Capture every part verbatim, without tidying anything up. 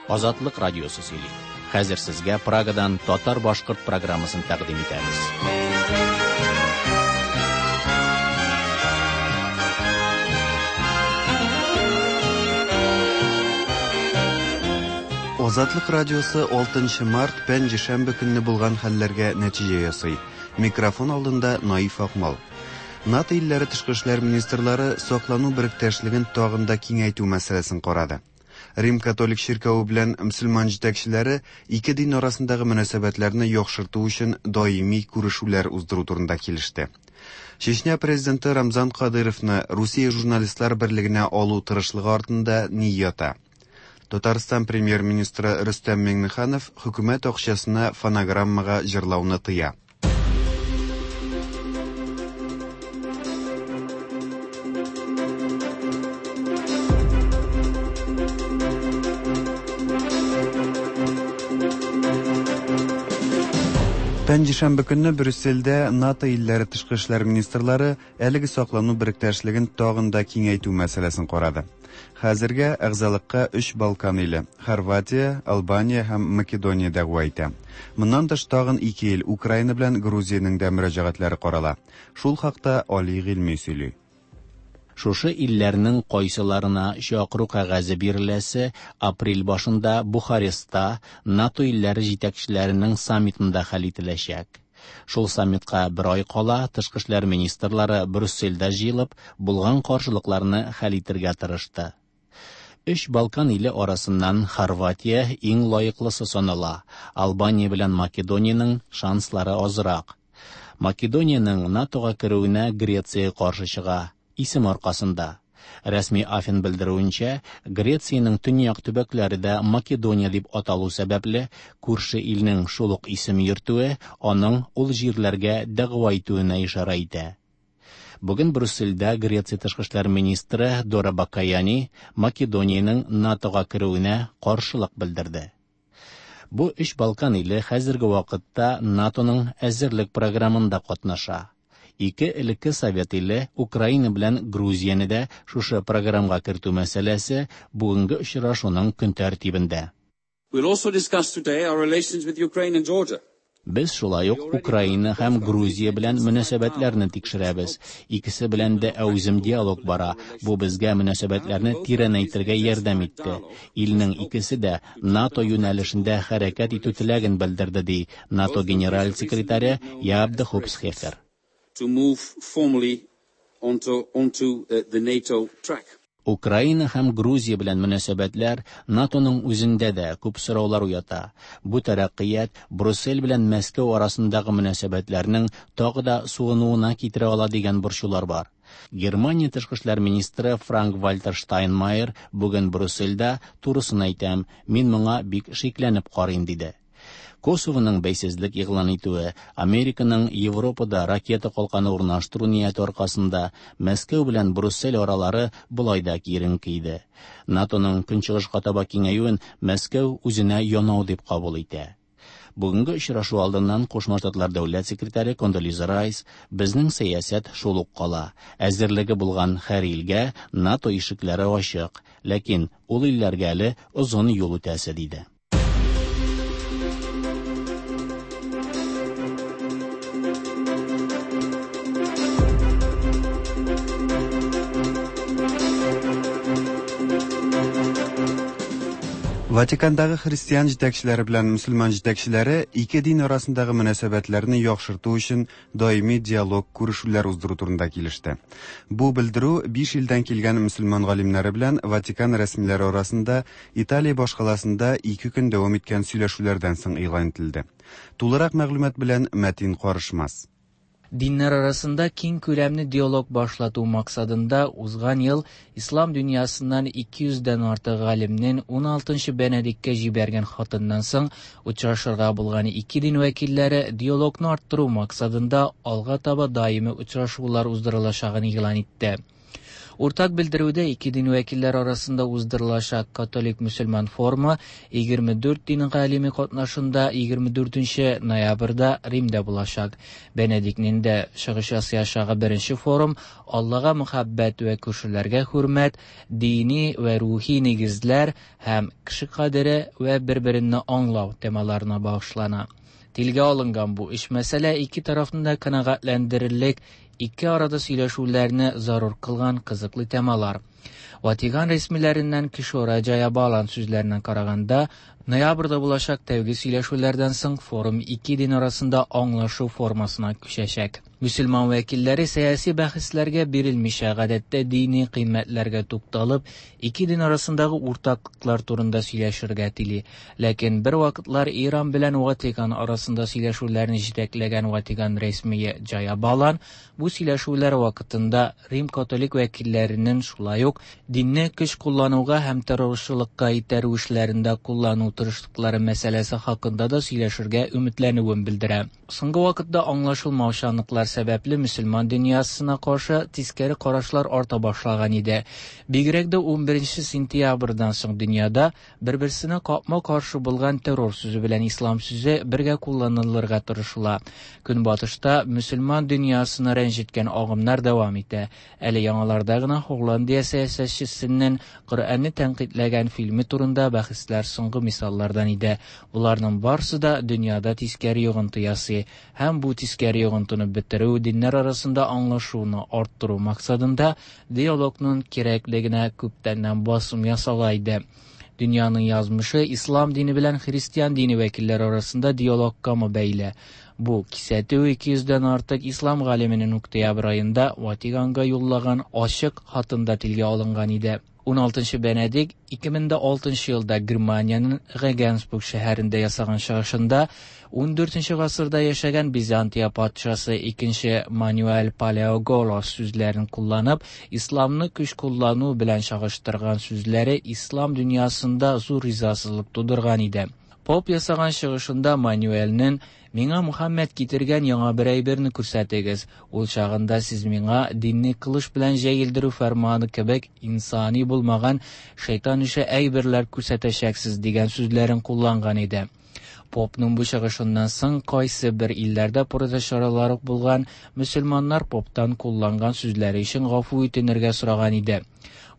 Азатлык радиосы сөйли. Хәзер сезгә Прагадан татар-башкорт программасын тәкъдим итәбез. Азатлык радиосы алтынчы март пәнҗешәмбе көнне булган хәлләргә нәтиҗә ясый. Микрофон алдында Наиф Акмал. НАТО илләре тышкы эшләр министрлары саклану беректәшлеген тагын да киңәйтү мәсьәләсен карады. Рим католик чиркәве белән мөселман җитәкчеләре ике дин арасындагы мөнәсәбәтләрне яхшырту өчен даими күрешүләр уздыру турында килеште. Чечня президенты Рамзан Кадыровны Русия журналистлар берлегенә алу тырышлыгы артында ни ята? Татарстан премьер-министры Рөстәм Миңнеханов хөкүмәт акчасына фонограммага җырлауны тыя. Пәнҗешәмбе көнне Брюссельдә НАТО илләре тышкы эшләр министрлары әлеге саклану беректәшлеген тагын да киңәйтү мәсьәләсен карады. Хәзергә әгъзалыкка өч Балкан иле – Хорватия, Албания һәм Македония дәгъва итә. Моннан тыш тагын ике ил Украина белән Грузиянең дә мөрәҗәгатьләре карала. Шул хакта Али Гыйльми сөйли. Шушы илләрнең кайсыларына чакыру кәгазе биреләсе апрель башында Бухарестта НАТО илләре җитәкчеләренең саммитында хәл ителәчәк. Шул саммитка бер ай кала тышкы эшләр министрлары Брюссельдә җыелып, булган каршылыкларны хәл итәргә тырышты. Өч Балкан иле арасыннан Хорватия иң лаеклысы санала. Албания белән Македониянең шанслары азрак. Македониянең НАТОга керүенә Греция каршы чыга. Исем аркасында. Рәсми Афин белдерүенчә, Грециянең төньяк төбәкләре дә Македония дип аталу сәбәпле, күрше илнең шул ук исем йөртүе аның ул җирләргә дәгъва итүенә ишарә итә. Бүген Брюссельдә Греция тышкы эшләр министры Дора Бакаяни Македониянең НАТОга керүенә каршылык белдерде. Бу өч Балкан иле хәзерге вакытта НАТОның әзерлек программында катнаша. Ике элекке Совет иле Украина белән Грузияне дә шушы программага кертү мәсьәләсе бүгенге очрашуның көн тәртибендә. We'll also discuss today our relations with Ukraine and Georgia. Без шулай ук Украина һәм Грузия белән мөнәсәбәтләрне тикшерәбез. Икесе белән дә әүзем диалог бара. Бу безгә мөнәсәбәтләрне тирәнәйтергә ярдәм итте. Илнең икесе дә НАТО юнәлешендә хәрәкәт итү теләген белдерде, ди НАТО генераль секретаре Яап де Хоп Схефер. To move formally onto, onto, uh, the NATO track. Украина һәм Грузия белән мөнәсәбәтләр НАТОның үзендә дә күп сораулар уята. Бу тәрәккыят Брюссель белән Мәскәү арасындагы мөнәсәбәтләрнең тагы да суынуына китерә ала дигән борчулар бар. Германия тышкы эшләр министры Франк-Вальтер Штайнмайер бүген Брюссельдә турысын әйтәм, мин моңа бик шикләнеп карыйм, диде. Косовоның бәйсезлек игълан итүе, Американың Европада ракета калканы урнаштыру нияте аркасында Мәскәү белән Брюссель аралары болай да киеренке иде. НАТОның көнчыгышка таба киңәюен Мәскәү үзенә янау дип кабул итә. Бүгенге очрашу алдыннан Кушма Штатлар дәүләт секретаре Кондолиза Райс безнең сәясәт шул ук кала. Әзерлеге булган һәр илгә НАТО ишекләре ачык, ләкин ул илләргә әле озын юл үтәсе, диде. Ватикандагы христиан җитәкчеләре белән мөселман җитәкчеләре ике дин арасындагы мөнәсәбәтләрне яхшырту өчен даими диалог күрешүләр уздыру турында килеште. Бу белдерү биш илдән килгән мөселман галимнәре белән Ватикан рәсмиләре арасында Италия башкаласында ике көн дәвам иткән сөйләшүләрдән соң игълан ителде. Тулырак мәгълүмат белән Мәтин Карышмас. Dinler arasında keng күләмле диалог башлату максатында узган ел ислам дөньясыннан ике йөздән артык галимнең ун алтынчы Бенедиктка җибәргән хатыннан соң очрашырга булган ике дин вәкилләре диалогны арттыру максатында алга таба даими очрашулар уздырылачагын игълан итте. Уртак белдерүдә ике дин вәкилләре арасында уздырылачак католик-мөселман форумы егерме дүрт дин галиме катнашында егерме дүртенче ноябрьдә Римдә булачак. Бенедиктның дә чыгыш ясаячагы беренче форум Аллага мөхәббәт вә күршеләргә хөрмәт, дини вә рухи нигезләр һәм кеше кадере вә бер-береңне аңлау темаларына багышлана. Телгә алынган бу өч мәсьәлә ике тарафны да канәгатьләндерерлек, ике арада сөйләшүләрне зарур кылган кызыклы темалар. Ватикан рәсмиләреннән Кишора Джаябалан сүзләренә караганда, ноябрьдә булачак тәүге сөйләшүләрдән соң форум ике дин арасында аңлашу формасына күчәчәк. Мөселман вәкилләре сәяси бәхәсләргә бирелмичә, гадәттә дини кыйммәтләргә тукталып, ике дин арасындагы уртаклыклар турында сөйләшергә тели. Ләкин бер вакытлар Иран белән Ватикан арасында сөйләшүләрне җитәкләгән Ватикан рәсмие Джаябалан бу сөйләшүләр вакытында Рим католик вәкилләренең шулай ук динне көч куллануга һәм террорчылыкка итәрү эшләрендә куллану тырышлыклары мәсьәләсе хакында да сөйләшергә өметләнүен белдерә. Соңгы вакытта аңлашылмаучанлыклар сәбәпле мөселман дөньясына каршы тискәре карашлар арта башлаган иде. Бигрәк дә ун беренче сентябрьдән соң дөньяда бер-берсенә капма-каршы булган террор сүзе белән ислам сүзе бергә кулланылырга тырышыла. Көнбатышта мөселман дөньясына рәнҗеткән агымнар дәвам итә. Әле яңаларда гына Һолландия сәясәтчесенең Коръәнне тәнкыйтьләгән фильме турында бәхәсләр соңгы мисаллардан иде. Буларның барысы да дөньяда тискәре йогынты ясый һәм бу тискәре йогынтыны бетерү, диннәр арасында аңлашуны арттыру максатында диалогның кирәклегенә күптәннән басым ясала иде. Дөньяның язмышы ислам дине белән христиан дине вәкилләре арасында диалогка бәйле. Бу кисәтү ике йөздән артык ислам галименең октябрь аенда Ватиканга юллаган ачык хатында телгә алынган иде. ун алтынчы Бенедикт ике мең дә алтынчы елда Германиянең Регенсбург шәһәрендә ясаган чыгышында ун дүртенче гасырда яшәгән Византия патшасы икенче Мануэль Палеоголос сүзләрен кулланып, исламны көч куллану белән чагыштырган сүзләре ислам дөньясында зур ризасызлык тудырган иде. Поп ясаган чыгышында Мануэльнең «Миңа Мухаммед китергән яңа бер әйберне күрсәтегез, ул чагында сез миңа динне кылыч белән җәелдерү фәрманы кебек инсани булмаган шайтан ише әйберләр күрсәтәчәксез» дигән сүзләрен кулланган иде. Попның бу чыгышыннан соң кайсы бер илләрдә протест чаралары булган мөселманнар поптан кулланган сүзләре өчен гафу үтенергә сораган иде.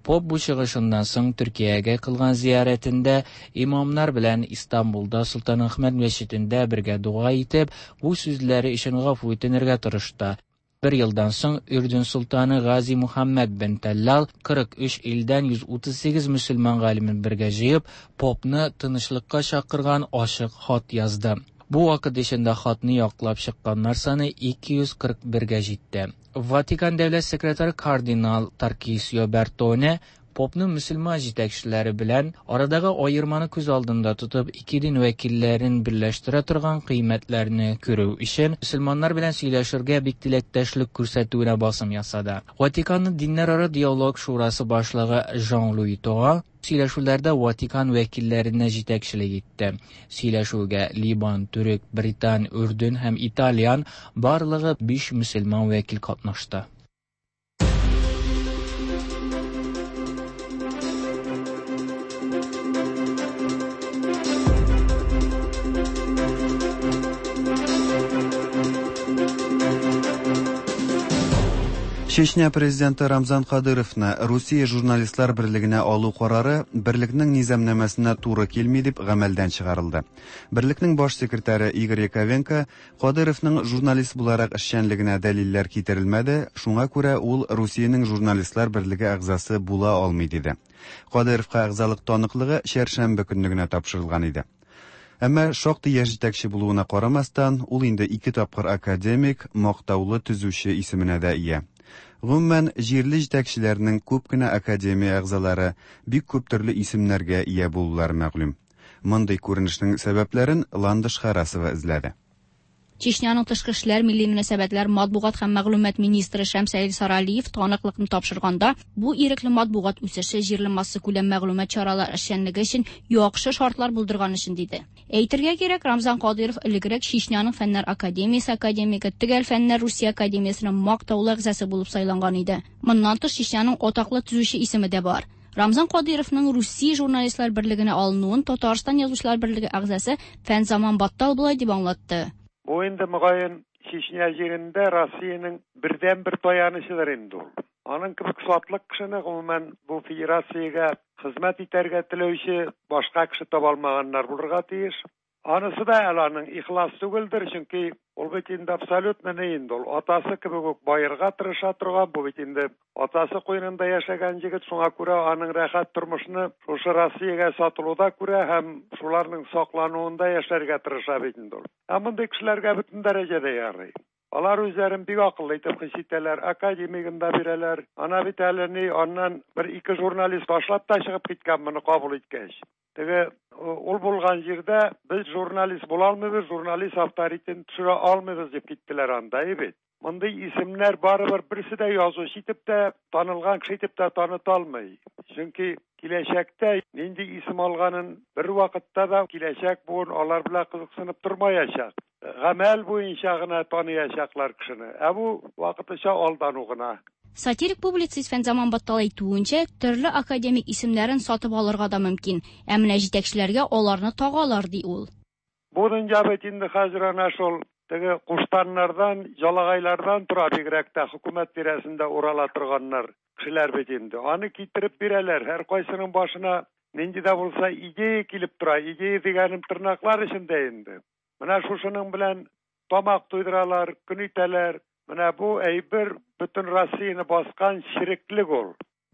Поп бу чыгышыннан соң Төркиягә кылган зиярәтендә имамнар белән Истанбулда Солтан Әхмәт мәчетендә бергә дога итеп, бу сүзләре өчен гафу үтенергә тырышты. Бер елдан соң Үрдүн султаны Гази Мухаммед бен Таллал кырык өч илдән йөз утыз сигез мөселман галимен бергә җыеп, попны тынычлыкка чакырган ачык хат язды. Бу вакыт эчендә хатны яклап чыкканнар саны ике йөз кырык бергә җитте. Ватикан дәүләт секретаре кардинал Таркисио Бертоне попның мөселман җитәкчеләре белән арадагы аерманы күз алдында тотып, ике дин вәкилләрен берләштерә торган кыйммәтләрне күрү өчен мөселманнар белән сөйләшергә бик теләктәшлек күрсәтүенә басым ясады. Ватиканның диннәрара диалог шурасы башлыгы Жан-Луи Тора сөйләшүләрдә Ватикан вәкилләренә җитәкчелек итте. Сөйләшүгә Либан, Төрек, Британ, Үрдүн һәм Итальян барлыгы биш мөселман вәкил катнашты. Чечня президенты Рамзан Кадыровны Русия журналистлар берлегенә алу карары берлекнең низамнамәсенә туры килми дип гамәлдән чыгарылды. Берлекнең баш секретаре Игорь Яковенко Кадыровның журналист буларак эшчәнлегенә дәлилләр китерелмәде, шуңа күрә ул Русиянең журналистлар берлеге әгъзасы була алмый диде. Кадыровка әгъзалык таныклыгы чәршәмбе көнне генә тапшырылган иде. Әмма шактый яшь җитәкче булуына карамастан, ул инде ике тапкыр академик, мактаулы төзүче исеменә дә ия. Гомумән, җирле җитәкчеләрнең күп кенә академия әгъзалары бик күп төрле исемнәргә ия булулары мәгълүм. Мондый күренешнең сәбәпләрен Ландыш Харасова эзләде. Чечняның тышкы эшләр, милли мөнәсәбәтләр, матбугат һәм мәгълүмат министры Шәмсәил Саралиев таныклыкны тапшырганда, бу ирекле матбугат үсеше җирле массакүләм мәгълүмат чаралары эшчәнлеге өчен яхшы шартлар булдырган өчен диде. Әйтергә кирәк, Рамзан Кадыйров элегрәк Чечняның Фәннәр академиясе академигы, Төгәл фәннәр Русия академиясенең мактаулы әгъзасы булып сайланган иде. Моннан тыш Чечняның атаклы төзүче исеме дә бар. Рамзан Кадыйровның Русия журналистлар берлегенә алынуын Татарстан язучылар берлеге әгъзасы Фәнзаман Баттал болай дип аңлатты. Бу инде мөгаен Чечня җирендә Россиянең бердәнбер таянычыдыр инде ул. Аның кебек сатлык кешене гомумән бу федерациягә хезмәт итәргә теләүче башка кеше таба алмаганнар булырга тиеш. Анысы да әле аның ихлас түгелдер, чөнки ул бит инде абсолютно ни инде ул. Атасы кебек үк байырга тырыша торган, бу бит инде атасы куенында яшәгән егет, шуңа күрә аның рәхәт тормышны шушы Россиягә сатылуда күрә һәм шуларның саклануында яшәргә тырыша бит инде ул. Ә мондый кешеләргә бөтен дәрәҗәдә ярый. Алар үзләрен бик акыллы итеп хис итәләр, академигын да бирәләр. Ана бит әле ни, аннан бер ике журналист ташлап та чыгып киткән моны кабул иткәч. Теге ул булган җирдә без журналист була алмыйбыз, журналист авторитетын төшерә алмыйбыз дип киттеләр анда, бит. Мондый исемнәр барыбер берсе дә язучы итеп тә, танылган кеше итеп тә таныта алмый. Чөнки киләчәктә нинди исем алганын бер вакытта да киләчәк буын алар белән кызыксынып тормаячак. Гамәл буенча гына таныячаклар кешене. Ә бу вакытлыча алдану гына. Сатирик публицист Фәнзаман Баттал әйтүенчә, төрле академик исемнәрен сатып алырга да мөмкин. Ә менә җитәкчеләргә аларны тагалар, ди ул. Бу дөнья бит инде хәзер әнә шул теге куштаннардан, ялагайлардан тора, бигрәк тә хөкүмәт тирәсендә урала торганнар кешеләр бит инде. Аны китереп бирәләр. Һәр кайсының башына нинди дә булса идея килеп тора. Идея дигәнем тырнаклар эчендә инде. Менә шушының белән тамак туйдыралар, көн итәләр. Менә бу әйбер бөтен Россияне баскан чиреклек ул.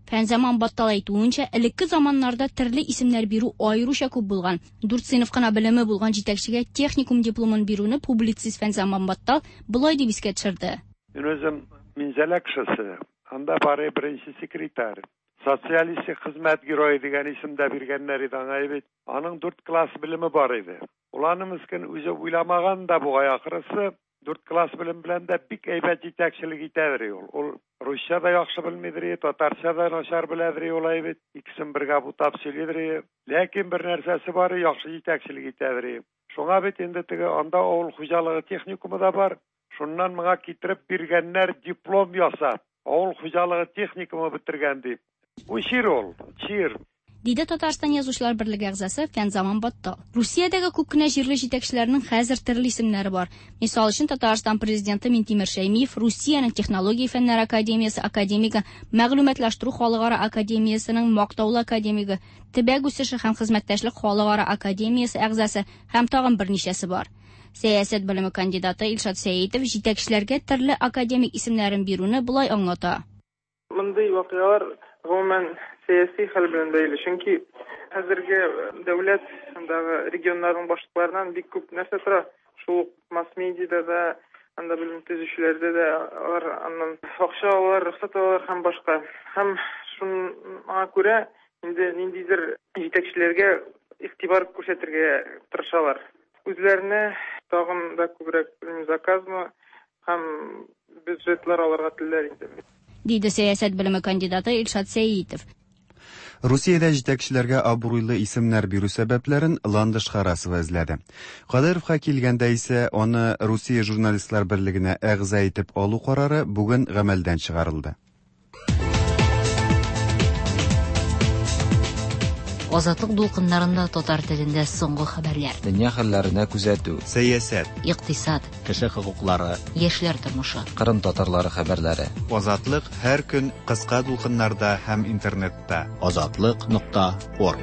Фәнзаман Баттал әйтүенчә, элекке заманнарда төрле исемнәр бирү аеруча күп булган. Дүрт сыйныф кына белеме булган җитәкчегә техникум дипломын бирүне публицист Фәнзаман Баттал болай дип искә төшерде. Мин үзем Минзәлә кешесе, анда бары беренче секретарь. Социалистик хезмәт герое дигән исем дә биргәннәр иде аңа бит. Аның дүрт класс белеме бар иде. Ул аны мескен үзе уйламаган да бугай ахрысы. Дүрт класс белем белән дә бик әйбәт җитәкчелек итәдер ул. Ул русча да яхшы белмидер, татарча да начар беләдер ул әйбәт. Икесен бергә бутап сөйлидер. Ләкин бер нәрсәсе бар, яхшы җитәкчелек итәдер. Шуңа бит инде теге анда авыл хуҗалыгы техникумы да бар. Шуннан моңа китереп биргәннәр диплом ясап, авыл хуҗалыгы техникумы бетергән дип. Бу чир ул, чир. Диде Татарстан язучылар берлеге әгъзасы Фәнзаман Баттал. Русиядәге күп кенә җирле җитәкчеләрнең хәзер төрле исемнәре бар. Мисал өчен, Татарстан президенты Минтимер Шәймиев Русиянең технология фәннәр академиясе академигы, мәгълүматлаштыру халыкара академиясенең мактаулы академигы, төбәк үсеше һәм хезмәттәшлек халыкара академиясе әгъзасы һәм тагын берничәсе бар. Сәясәт белеме кандидаты Илшат Сәитов җитәкчеләргә төрле академик исемнәрен бирүне болай аңлата. Мондый вакыйгалар гомумән сәяси хәл белән бәйле, чөнки хәзерге дәүләт андагы регионнарның башлыкларыннан бик күп нәрсә тора. Шул ук масс-медиада да, анда белем төзүчеләрдә дә алар аннан акча алалар, рөхсәт алалар һәм башка. Һәм шуңа күрә инде ниндидер җитәкчеләргә игътибар күрсәтергә тырышалар. Үзләренә тагын да күбрәк заказмы һәм бюджетлар алырга телиләр инде. Диде сәясәт белеме кандидаты Илшат Сәитов. Русиядә җитәкчеләргә абруйлы исемнәр бирү сәбәпләрен Ландыш Харасова эзләде. Кадыйровка килгәндә исә аны Русия журналистлар берлегенә әгъза итеп алу карары бүген гамәлдән чыгарылды. Азатлык дулкыннарында татар телендә соңгы хәбәрләр. Дөнья хәлләренә күзәтү. Сәясәт. Икътисад. Кеше хокуклары. Яшьләр тормышы. Кырым татарлары хәбәрләре. Азатлык һәр көн кыска дулкыннарда һәм интернетта. Азатлык нокта орг.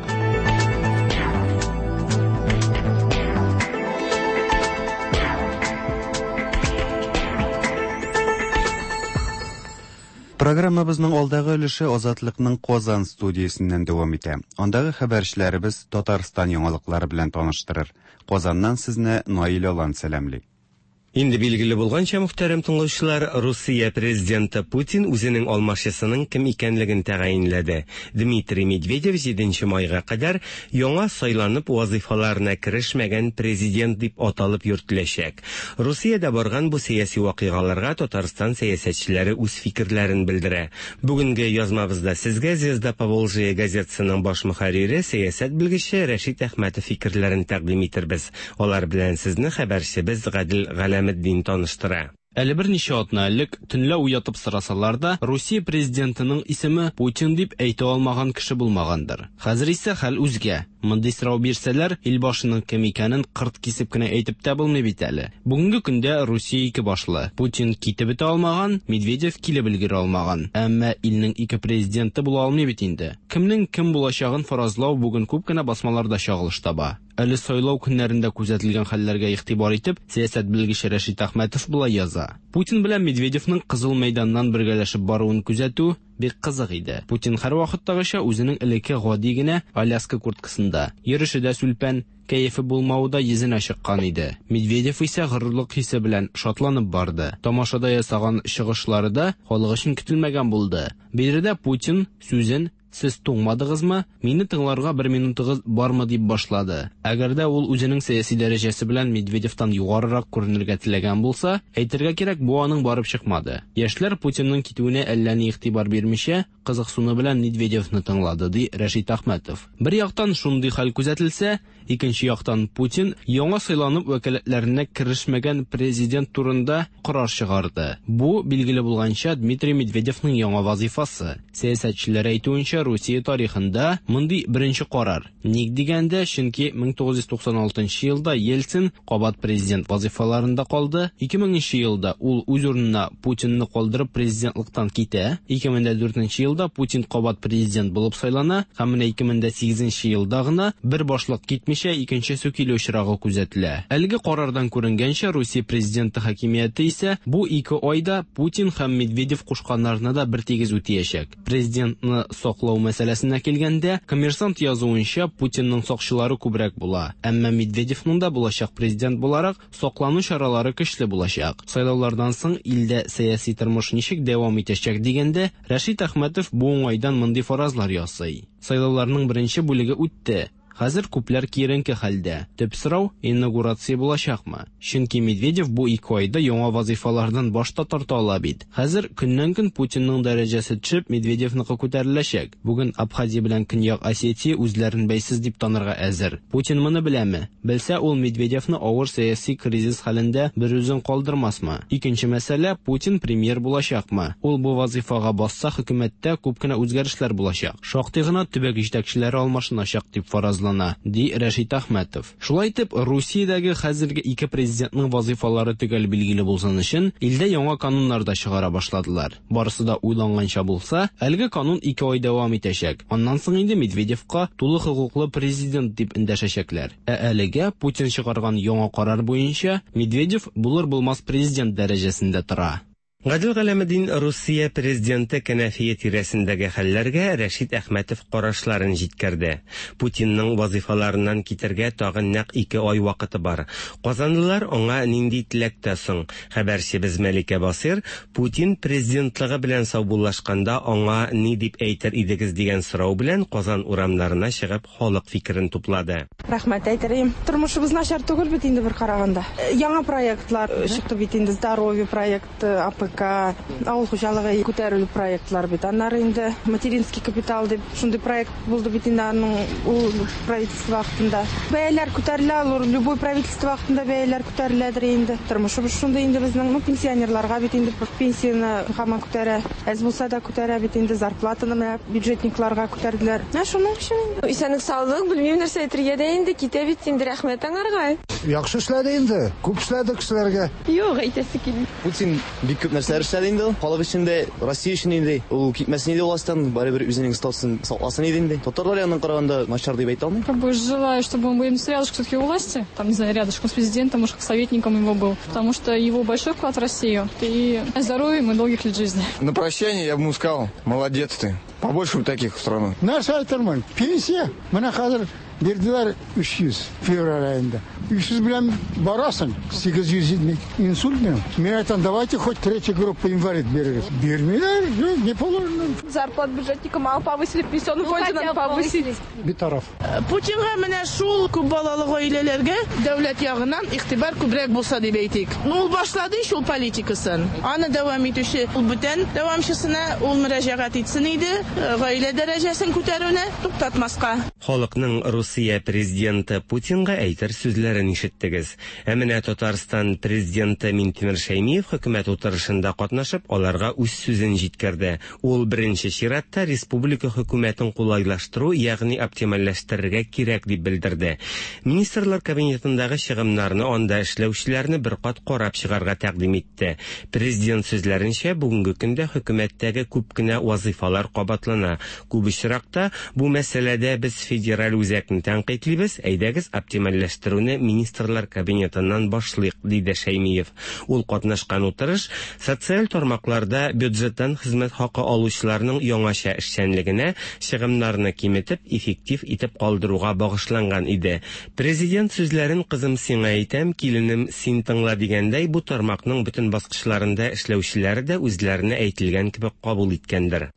Программабызның алдагы өлеше Азатлыкның Казан студиясеннән дәвам итә. Андагы хәбәрчеләребез Татарстан яңалыклары белән таныштырыр. Казаннан сезне Наил Алан сәламли. Инде билгеле булганча, мөхтәрәм тыңлаучылар, Русия президенты Путин үзенең алмашчысының кем икәнлеген тәгаенләде. Дмитрий Медведев җиденче майга кадәр яңа сайланып вазифаларына керешмәгән президент дип аталып йөртеләчәк. Русиядә барган бу сәяси вакыйгаларга Татарстан сәясәтчеләре үз фикерләрен белдерә. Бүгенге язмабызда сезгә Звезда Поволжья газетасының баш мөхәррире, сәясәт белгече Рәшит Әхмәтов фикерләрен тәкъдим итербез. Алар белән сезне хәбәрчебез Гадел Галәметдин таныштыра. Әле берничә атна элек төнлә уятып сорасалар да, Русия президентының исеме Путин дип әйтә алмаган кеше булмагандыр. Хәзер исә хәл үзгә. Мондый сорау бирсәләр, илбашының кем икәнен кырт кисеп кенә әйтеп тә булмый бит әле. Бүгенге көндә Русия ике башлы. Путин китеп бетә алмаган, Медведев килеп өлгерә алмаган. Әмма илнең ике президенты була алмый бит инде. Кемнең кем булачагын фаразлау бүген күп кенә басмаларда чагылыш таба. Әле сайлау көннәрендә күзәтелгән хәлләргә игътибар итеп, сәясәт белгече Рәшит Әхмәтов болай яза. Путин белән Медведевның Кызыл мәйданнан бергәләшеп баруын күзәтү бик кызык иде. Путин һәрвакыттагыча үзенең элекке гади генә Аляска курткасында, йөреше дә сүлпән, кәефе булмавы да йөзенә чыккан иде. Медведев исә горурлык хисе белән шатланып барды. Тамашада ясаган чыгышлары да халык өчен көтелмәгән булды. Биредә Путин сүзен "Сез туңмадыгызмы? Мине тыңларга бер минутыгыз бармы?" дип башлады. Әгәр дә ул үзенең сәяси дәрәҗәсе белән Медведевтан югарырак күренергә теләгән булса, әйтергә кирәк, бу аның барып чыкмады. Яшьләр Путинның китүенә әллә ни игътибар бирмичә, кызыксыну белән Медведевны тыңлады, ди Рәшит Әхмәтов. Бер яктан шундый хәл күзәтелсә, икенче яктан Путин яңа сайланып вәкаләтләренә керешмәгән президент турында карар чыгарды. Бу, билгеле булганча, Дмитрий Медведевның яңа вазифасы. Сәясәтчеләр әйтүенчә, Русия тарихында мондый беренче карар. Ник дигәндә, чөнки мең тугыз йөз туксан алтынчы елда Ельцин кабат президент вазифаларында калды. Ике меңенче елда ул үз урынына Путинны калдырып президентлыктан китә. Ике мең дә дүртенче елда Путин кабат президент булып сайлана һәм менә ике мең дә сигезенче елда гына бер башлык китмичә икенчесе килү очрагы күзәтелә. Әлеге карардан күренгәнчә, Русия президенты хакимияте исә бу ике айда Путин һәм Медведев кушканнарны да бер тигез үтәячәк. Президентны саклау мәсьәләсенә килгәндә, Коммерсант язуынча, Путинның сакчылары күбрәк була. Әмма Медведевның да булачак президент буларак саклану чаралары көчле булачак. Сайлаулардан соң илдә сәяси тормыш ничек дәвам итәчәк дигәндә, Рәшит Әхмәтов бу уңайдан мондый фаразлар ясый. Сайлауларның беренче бүлеге үтте. Хәзер күпләр киеренке хәлдә. Төп сорау инаугурация булачакмы? Чөнки Медведев бу ике айда яңа вазифалардан баш та тарта ала бит. Хәзер көннән-көн Путинның дәрәҗәсе төшеп, Медведевныкы күтәреләчәк. Бүген Абхазия белән Көньяк Осетия үзләрен бәйсез дип танырга әзер. Путин моны беләме? Белсә, ул Медведевны авыр сәяси кризис хәлендә бер үзен калдырмасмы? Икенче мәсьәлә, Путин премьер булачакмы? Ул бу вазифага басса, хөкүмәттә күп кенә үзгәрешләр булачак. Шактый гына төбәк җитәкчеләре алмашыначак дип фаразлана, ди Рәшит Әхмәтов. Шулай итеп, Русиядәге хәзерге ике президентның вазифалары төгәл билгеле булсын өчен, илдә яңа кануннар да чыгара башладылар. Барысы да уйланганча булса, әлеге канун ике ай дәвам итәчәк. Аннан соң инде Медведевка тулы хокуклы президент дип эндәшәчәкләр. Ә әлегә Путин чыгарган яңа карар буенча Медведев булыр-булмас президент дәрәҗәсендә тора. Гадел Галәметдин Русия президенты кәнәфие тирәсендәге хәлләргә Рәшит Әхмәтов карашларын җиткерде. Путинның вазифаларыннан китәргә тагын нәкъ ике ай вакыты бар. Казанлылар аңа нинди теләктә соң? Хәбәрчебез Мәликә Басир Путин президентлыгы белән саубуллашканда аңа ни дип әйтер идегез дигән сорау белән Казан урамнарына чыгып халык фикерен туплады. Рәхмәт әйтер идем. Тормышыбыз начар түгел бит инде бер караганда. Яңа проектлар чыкты бит инде, здоровье проекты, А П К, авыл хуҗалыгы күтәрелү проектлар бит. Аннары инде материнский капитал дип шундый проект булды бит инде, аның ул правительство вакытында. Бәяләр күтәрелә, алар любой правительство вакытында бәяләр күтәреләдер инде. Тормышыбыз шундый инде безнең, ну, пенсионерларга бит инде пенсияне һаман күтәрә. Әз булса да күтәрә бит инде, зарплатаны менә бюджетникларга күтәрделәр. Менә шуның өчен инде. Исәнлек саулык, белмим нәрсә әйтергә дә инде, китә бит инде, рәхмәт аңарга. Яхшы эшләде инде, күп эшләде кешеләргә. Юк, әйтәсе килми. Путин бик күп нәрсәләр эшләде инде, халык өчен дә, Россия өчен инде. Ул китмәсен иде властьтан, барыбер үзенең статусын сакласын иде инде. Татарлар яныннан караганда начар дип әйтә алмыйм. Как бы желаю, чтобы он был рядышком все-таки у власти, там, не знаю, рядышком с президентом, может, как советником его был, потому что его большой вклад в Россию. И здоровья ему и долгих лет жизни. На прощание я бы ему сказал: молодец ты. Побольше бы таких в страну. Нәрсә әйтермен? Пенсия. Менә хәзер Бирделәр өч йөз февраль аенда. Өч йөз белән барасың, сигез йөз инсульт минем. Мин әйтәм, давайте хоть третью группу инвалид бирегез. Бирмиләр, не положено. Зарплат бюджетника мало повысили, пенсионный фонд надо повысить. Битараф. Путинга менә шул күп балалы гаиләләргә дәүләт ягыннан игътибар күбрәк булса дип әйтик. Ну, ул башлады шул политикасын. Аны дәвам итүче ул бүтән дәвамчысына ул мөрәҗәгать итсен иде, гаилә дәрәҗәсен күтәрүне туктатмаска. Халыкның Русия президенты Путинга әйтер сүзләрен ишеттегез. Ә менә Татарстан президенты Минтимер Шәймиев хөкүмәт утырышында катнашып, аларга үз сүзен җиткерде. Ул беренче чиратта республика хөкүмәтен кулайлаштыру, ягъни оптимальләштерергә кирәк дип белдерде. Министрлар кабинетындагы чыгымнарны анда эшләүчеләрне бер кат карап чыгарга тәкъдим итте. Президент сүзләренчә, бүгенге көндә хөкүмәттәге күп кенә вазифалар кабатлана. Күп очракта бу мәсьәләдә без федераль үзәкне тәнкыйтьлибез, әйдәгез оптимальләштерүне министрлар кабинетыннан башлыйк, диде Шәймиев. Ул катнашкан утырыш социаль тармакларда бюджеттан хезмәт хакы алучыларның яңача эшчәнлегенә чыгымнарны киметеп, эффектив итеп калдыруга багышланган иде. Президент сүзләрен кызым сиңа әйтәм, киленем син тыңла дигәндәй, бу тармакның бөтен баскычларында эшләүчеләре дә үзләренә әйтелгән кебек кабул иткәндер.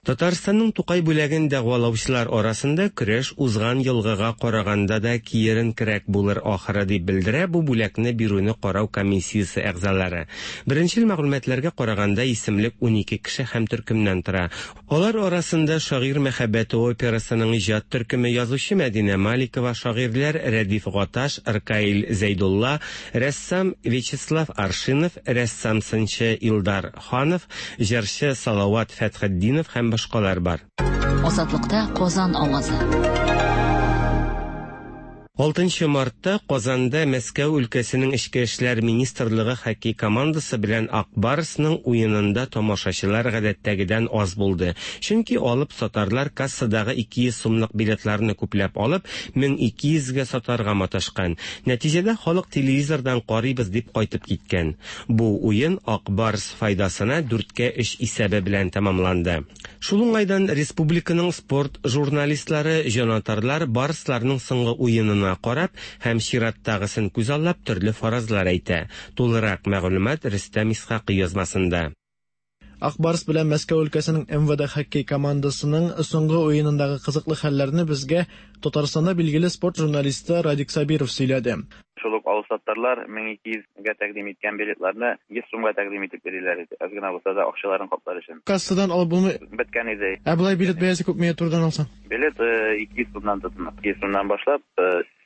Татарстанның Тукай бүләген дәгъвалаучылар арасында көрәш узган елгыга караганда да киеренкерәк булыр ахыры дип белдерә бу бүләкне бирүне карау комиссиясе әгъзалары. Беренчел мәгълүматларга караганда исемлек унике кеше һәм төркемнән тора. Алар арасында Шагыйрь мәхәббәте операсының иҗат төркеме, язучы Мәдинә Маликова, шагыйрьләр Рәдиф Гаташ, Ркаил Зәйдулла, рәссам Вячеслав Аршинов, рәссам-сынчы Илдар Ханов, җырчы Салават Фәтхетдинов һәм башкалар бар. Азатлыкта Казан авазы. Алтынчы мартта Казанда Мәскәү өлкәсенең Эчке эшләр министрлыгы хоккей командасы белән Ак Барсның уенында тамашачылар гадәттәгедән аз булды. Чөнки алып сатарлар кассадагы ике йөз сумлык билетларны күпләп алып, мең ике йөзгә сатарга маташкан. Нәтиҗәдә халык телевизордан карыйбыз дип кайтып киткән. Бу уен Ак Барс файдасына дүрткә өч исәбе белән тәмамланды. Шул уңайдан республиканың спорт журналистлары, җанатарлар Барсларның соңгы уенына карап һәм чираттагысын күзаллап төрле фаразлар әйтә. Тулырак мәгълүмат Рөстәм Исхакый язмасында. Ак Барс белән Мәскәү өлкәсенең эм вэ дэ хоккей командасының соңгы уенындагы кызыклы хәлләрне безгә Татарстанда билгеле спорт журналисты Радик Сабиров сөйләде. Шул ук алсаттарлар мең ике йөзгә тәкъдим иткән билетларны йөз сумга тәкъдим итеп бирәләр иде. Аз гына булса да акчаларын каплар өчен. Кассадан алып булмый. Беткән иде. Ә болай билет бәясе күпмегә турыдан алсаң? Билет ике йөз сумнан тотына. Ике йөз сумнан башлап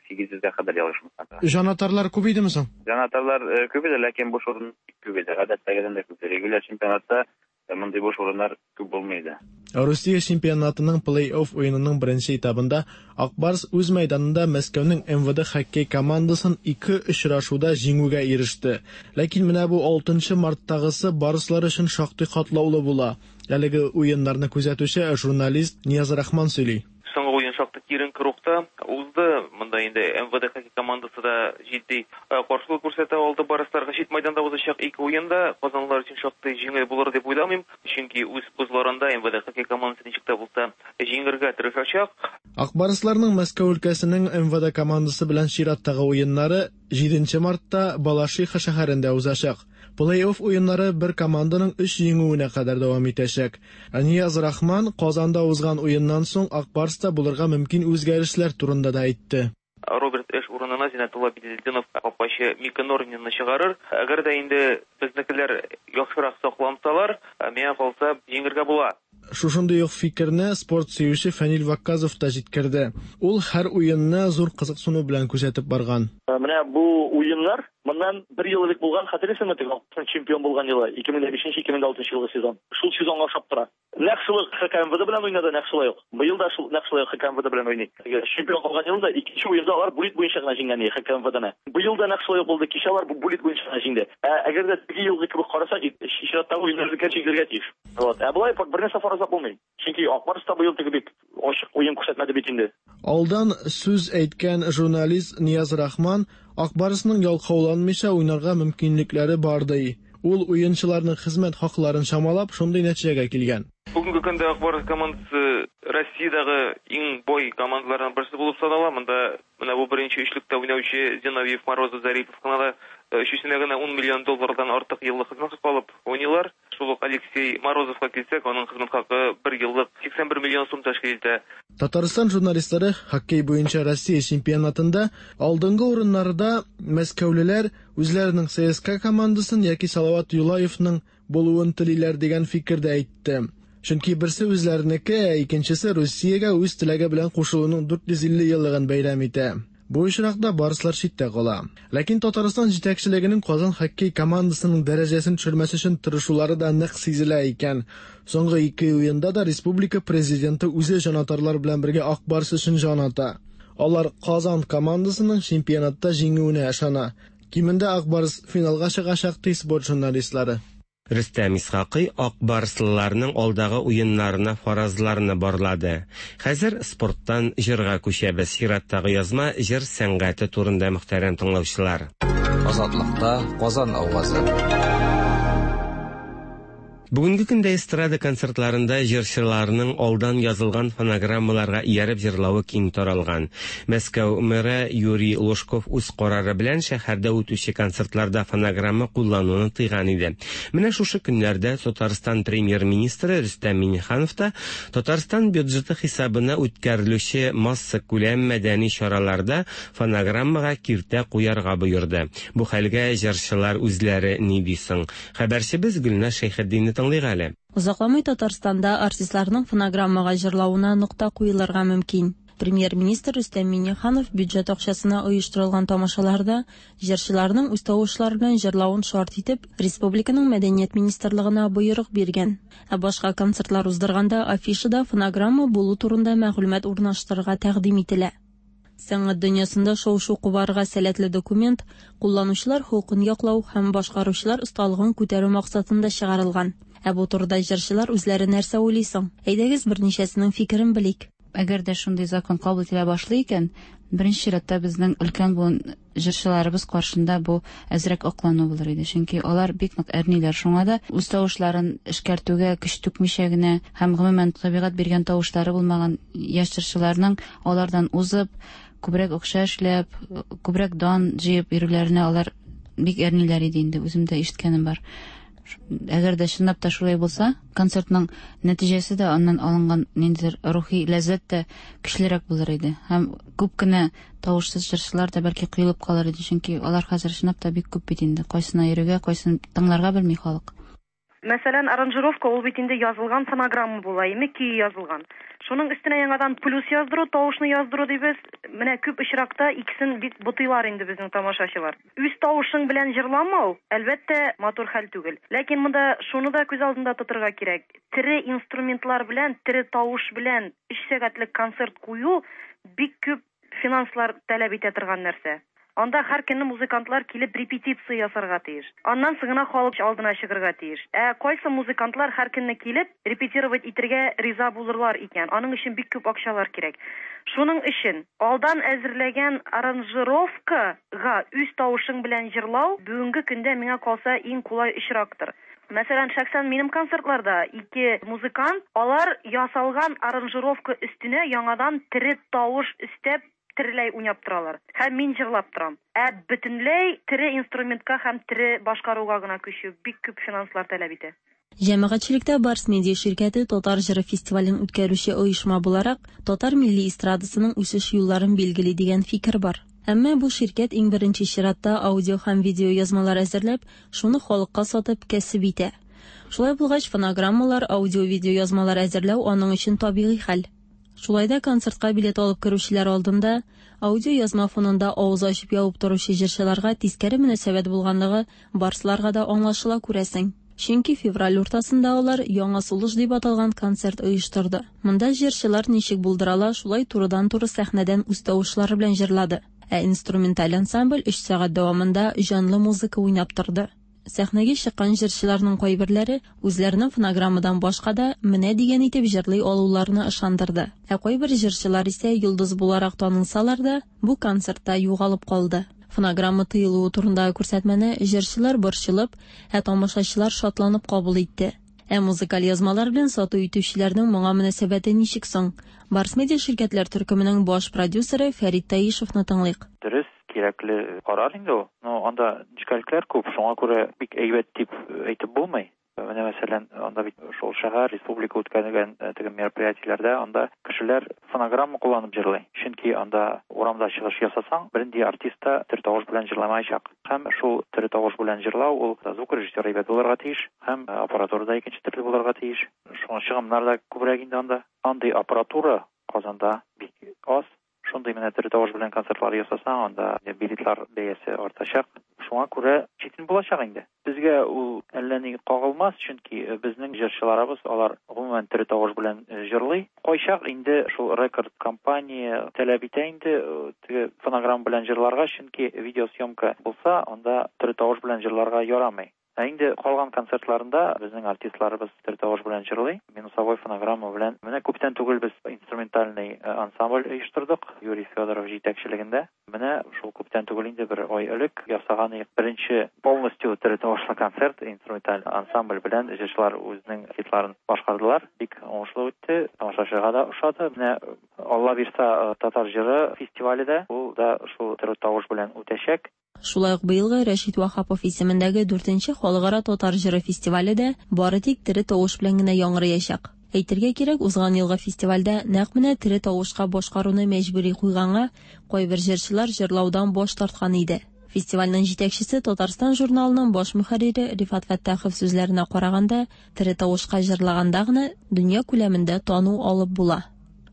сигез йөзгә кадәр ялгышмасам. Җанатарлар күп идеме соң? Җанатарлар күп иде, ләкин буш урын күп иде. Гадәттәгедән дә күп. Регуляр чемпионатта мондый буш урыннар күп булмый иде. Русия чемпионатының плей-офф уенының беренче этабында Ак Барс үз мәйданында Мәскәүнең эм вэ дэ хоккей командасын ике очрашуда җиңүгә иреште. Ләкин менә бу алтынчы марттагысы барслар өчен шактый катлаулы була. Әлеге уеннарны күзәтүче журналист Нияз Рахман сөйли. Соңгы уен шактый киеренке рухта узды. Монда инде эм вэ дэ хоккей командасы да җитди каршылык күрсәтә алды барсларга. Чит майданда узачак ике уенда казанлылар өчен шактый җиңел булыр дип уйламыйм, чөнки үз бозларында эм вэ дэ хоккей командасы ничек тә булса җиңергә тырышачак. Ак Барсларның Мәскәү өлкәсенең эм вэ дэ командасы белән чираттагы уеннары җиденче мартта Балашиха шәһәрендә узачак. Плей-офф уеннары бер команданың өч җиңүенә кадәр дәвам итәчәк. Нияз Рахман Казанда узган уеннан соң Ак Барста булырга мөмкин үзгәрешләр турында да әйтте. Роберт Эш урынына Зиннәтулла Беделдинов капкачы Мика Норнинны чыгарыр. Әгәр дә инде безнекеләр яхшырак саклансалар, миңа калса җиңергә була. Шушындый ук фикерне спорт сөюче Фәнил Вакказов та җиткерде. Ул һәр уенны зур кызыксыну белән күзәтеп барган. Менә бу уеннар моннан бер ел элек булган, хәтерлисеңме, теге чемпион булган елы, ике мең бишенче, ике мең алтынчы елгы сезон. Шул сезонга охшап тора. Нәкъ шул ха ка эм вэ дэ белән уйнады, нәкъ шулай ук. Быел да шул нәкъ шулай ха ка эм вэ дэ белән уйный. Чемпион калган елында икенче уенда алар булит буенча гына җиңгән иде ха ка эм вэ дэ-не. Быел да нәкъ шулай ук булды. Кичә алар булит буенча гына җиңде. Ә әгәр дә теге елгы кебек карасак, чираттагы уеннарны җиңергә тиеш. Вот. Ә болай бер нәрсә фаразлап булмый. Чөнки Ак Барс та быел теге бик ачык уен күрсәтмәде бит инде. Алдан сүз әйткән журналист Нияз Рахман Ак Барсның ялкауланмыйча уйнарга мөмкинлекләре бар ди. Ул уенчыларның хезмәт хакларын чамалап, шундый нәтиҗәгә килгән. Бүгенге көндә Ак Барс командасы Россиядәге иң бай командаларның берсе булып санала. Монда менә бу беренче өчлектә уйнаучы Зиновьев, Морозов, Зарипов кына да өчесенә генә ун миллион доллардан артык еллык хезмәт хакы алып уйныйлар. Шул ук Алексей Морозовка килсәк, аның хезмәт хакы бер еллык сиксән бер миллион сум тәшкил итә. Татарстан журналистлары хоккей буенча Россия чемпионатында алдынгы урыннарда мәскәүлеләр үзләренең ЦСКА командасын яки Салават Юлаевның булуын телиләр дигән фикердә әйтте. Чөнки берсе үзләренеке, ә икенчесе Русиягә үз теләге белән кушылуның дүрт йөз илле еллыгын бәйрәм итә. Бу очракта барслар читтә кала. Ләкин Татарстан җитәкчелегенең Казан хоккей командасының дәрәҗәсен төшермәс өчен тырышулары да нык сизелә икән. Соңгы ике уенда да республика президенты үзе җанатарлар белән бергә Ак Барс өчен җан ата. Алар Казан командасының чемпионатта җиңүенә ышана. Кимендә Ак Барс финалга чыгачак ди спорт журналистлары. Рөстәм Исхакый Ак Барслыларның алдагы уеннарына фаразларны барлады. Хәзер спорттан җырга күчәбез. Чираттагы язма җыр сәнгате турында, мөхтәрәм тыңлаучылар. Азатлыкта Казан авазы. Бүгенге көндә эстрада концертларында җырчыларның алдан язылган фонограммаларга ияреп җырлавы киң таралган. Мәскәү мэры Юрий Лужков үз карары белән шәһәрдә үтүче концертларда фонограмма куллануны тыйган иде. Менә шушы көннәрдә Татарстан премьер-министры Рөстәм Миңнеханов та Татарстан бюджеты хисабына үткәрелүче массакүләм мәдәни чараларда фонограммага киртә куярга боерды. Бу хәлгә җырчылар үзләре ни ди соң? Хәбәрчебез Гөлназ Шәйхетдинне тыңлыйк әле. Озакламый Татарстанда артистларның фонограммага җырлавына нокта куелырга мөмкин. Премьер-министр Рөстәм Миңнеханов бюджет акчасына оештырылган тамашаларда җырчыларның үз тавышлары белән җырлавын шарт итеп, республиканың мәдәният министрлыгына боерык биргән. Ә башка концертлар уздырганда афишада фонограмма булу турында мәгълүмат урнаштырырга тәкъдим ителә. Сәнгать дөньясында шау-шу кубарырга сәләтле документ кулланучылар хокукын яклау һәм башкаручылар осталыгын күтәрү максатында чыгарылган. Ә бу турыда җырчылар үзләре нәрсә уйлый соң? Әйдәгез берничәсенең фикерен белик. Әгәр дә шундый закон кабул ителә башлый икән, беренче чиратта безнең өлкән буын җырчыларыбыз каршында бу әзрәк аклану булыр иде. Чөнки алар бик нык әрниләр. Шуңа да үз тавышларын эшкәртүгә көч түкмичә генә һәм гомумән табигать биргән тавышлары булмаган яшь җырчыларның алардан узып, күбрәк акча эшләп, күбрәк дан җыеп йөрүләренә алар бик әрниләр иде инде. Үзем дә ишеткәнем бар. Әгәр дә чынлап та шулай булса, концертның нәтиҗәсе дә, аннан алынган ниндидер рухи ләззәт тә көчлерәк булыр иде. Һәм күп кенә тавышсыз җырчылар да бәлки коелып калыр иде, чөнки алар хәзер чынлап та бик күп бит инде. Кайсына йөрергә, кайсын тыңларга белми халык. Мәсәлән, аранжировка ул бит инде язылган фонограмма була, име көй язылган. Шуның өстенә яңадан плюс яздыру, тавышны яздыру дибез. Менә күп очракта икесен бик бутыйлар инде безнең тамашачылар. Үз тавышың белән җырламау, әлбәттә, матур хәл түгел. Ләкин монда шуны да күз алдында тотырга кирәк. Тере инструментлар белән, тере тавыш белән өч сәгатьлек концерт кую бик күп финанслар таләп итә торган нәрсә. Анда һәр көнне музыкантлар килеп репетиция ясарга тиеш. Аннан соң гына халык алдына чыгарга тиеш. Ә кайсы музыкантлар һәр көнне килеп репетировать итәргә риза булырлар икән? Аның өчен бик күп акчалар кирәк. Шуның өчен алдан әзерләгән аранжировкага үз тавышың белән җырлау бүгенге көндә миңа калса иң кулай очрактыр. Мәсәлән, шәхсән минем концертларда ике музыкант, алар ясалган аранжировка өстенә яңадан тере тавыш өстәп тереләй уйнап торалар. Һәм мин җырлап торам. Ә бөтенләй тере инструментка һәм тере башкаруга гына күчү бик күп финанслар таләп итә. Җәмәгатьчелектә Барс Медиа ширкәте Татар җыры фестивален үткәрүче оешма буларак, татар милли эстрадасының үсеш юлларын билгели дигән фикер бар. Әмма бу ширкәт иң беренче чиратта аудио һәм видео язмалар әзерләп, шуны халыкка сатып кәсеп итә. Шулай булгач, фонограммалар, аудио-видео язмалар әзерләү аның өчен табигый хәл. Шулай да концертка билет алып керүчеләр алдында аудио язма фонында авыз ачып ябып торучы җырчыларга тискәре мөнәсәбәт булганлыгы барсларга да аңлашыла күрәсең. Чөнки февраль уртасында алар Яңа сулыш дип аталган концерт оештырды. Монда җырчылар ничек булдырала, шулай турыдан-туры сәхнәдән үз тавышлары белән җырлады. Ә инструменталь ансамбль өч сәгать дәвамында җанлы музыка уйнап торды. Сәхнәгә чыккан җырчыларның кайберләре үзләренең фонограммадан башка да менә дигән итеп җырлый алуларына ышандырды. Ә кайбер җырчылар исә йолдыз буларак танылсалар да, бу концертта югалып калды. Фонограмма тыелуы турындагы күрсәтмәне җырчылар борчылып, ә тамашачылар шатланып кабул итте. Ә музыкаль язмалар белән сату итүчеләрнең моңа мөнәсәбәте ничек соң? Барс Медиа ширкәтләр төркеменең баш продюсеры Фәрит Таишевны тыңлыйк. Дөрес, кирәкле карар инде ул. Но анда нечкәлекләр күп, шуңа күрә бик әйбәт дип әйтеп булмый. Менә мәсәлән, анда бит шул шәһәр, республика үткәрелгән теге мероприятиеләрдә анда кешеләр фонограмма кулланып җырлый. Чөнки анда урамда чыгыш ясасаң, бернинди артист та тере тавыш белән җырламаячак. Һәм шул тере тавыш белән җырлау ул звукорежиссер әйбәт булырга тиеш, һәм аппаратура да икенче төрле булырга тиеш. Шуңа чыгымнар да күбрәк инде анда. Андый аппаратура Казанда бик аз. Шундый менә тере тавыш белән концертлар ясасаң, анда билетлар бәясе артачак. Шуңа күрә читен булачак инде. Безгә ул әллә ни кагылмас, чөнки безнең җырчыларыбыз алар гомумән тере тавыш белән җырлый. Кайчак инде шул рекорд компания таләп итә инде теге фонограмма белән җырларга, чөнки видеосъемка булса, анда тере тавыш белән җырларга ярамый. Ә инде калган концертларында безнең артистларыбыз тере тавыш белән җырлый, минусовой фонограмма белән. Менә күптән түгел без инструментальный ансамбль оештырдык Юрий Федоров җитәкчелегендә. Менә шул күптән түгел инде бер ай элек ясаган беренче полностью тере тавышлы концерт инструменталь ансамбль белән җырчылар үзенең хитларын башкардылар. Бик уңышлы үтте, тамашачыга да ошады. Менә Алла бирса татар җыры фестивале дә ул да шул тере тавыш белән үтәчәк. Шулай ук быелгы Рәшит Ваһапов исемендәге дүртенче халыкара татар җыры фестивале дә бары тик тере тавыш белән генә яңгыраячак. Әйтергә кирәк, узган елгы фестивальдә нәкъ менә тере тавышка башкаруны мәҗбүри куйганга кайбер җырчылар җырлаудан баш тарткан иде. Фестивальнең җитәкчесе Татарстан журналының баш мөхәррире Рифат Фәттахов сүзләренә караганда, тере тавышка җырлаганда гына дөнья күләмендә тану алып була.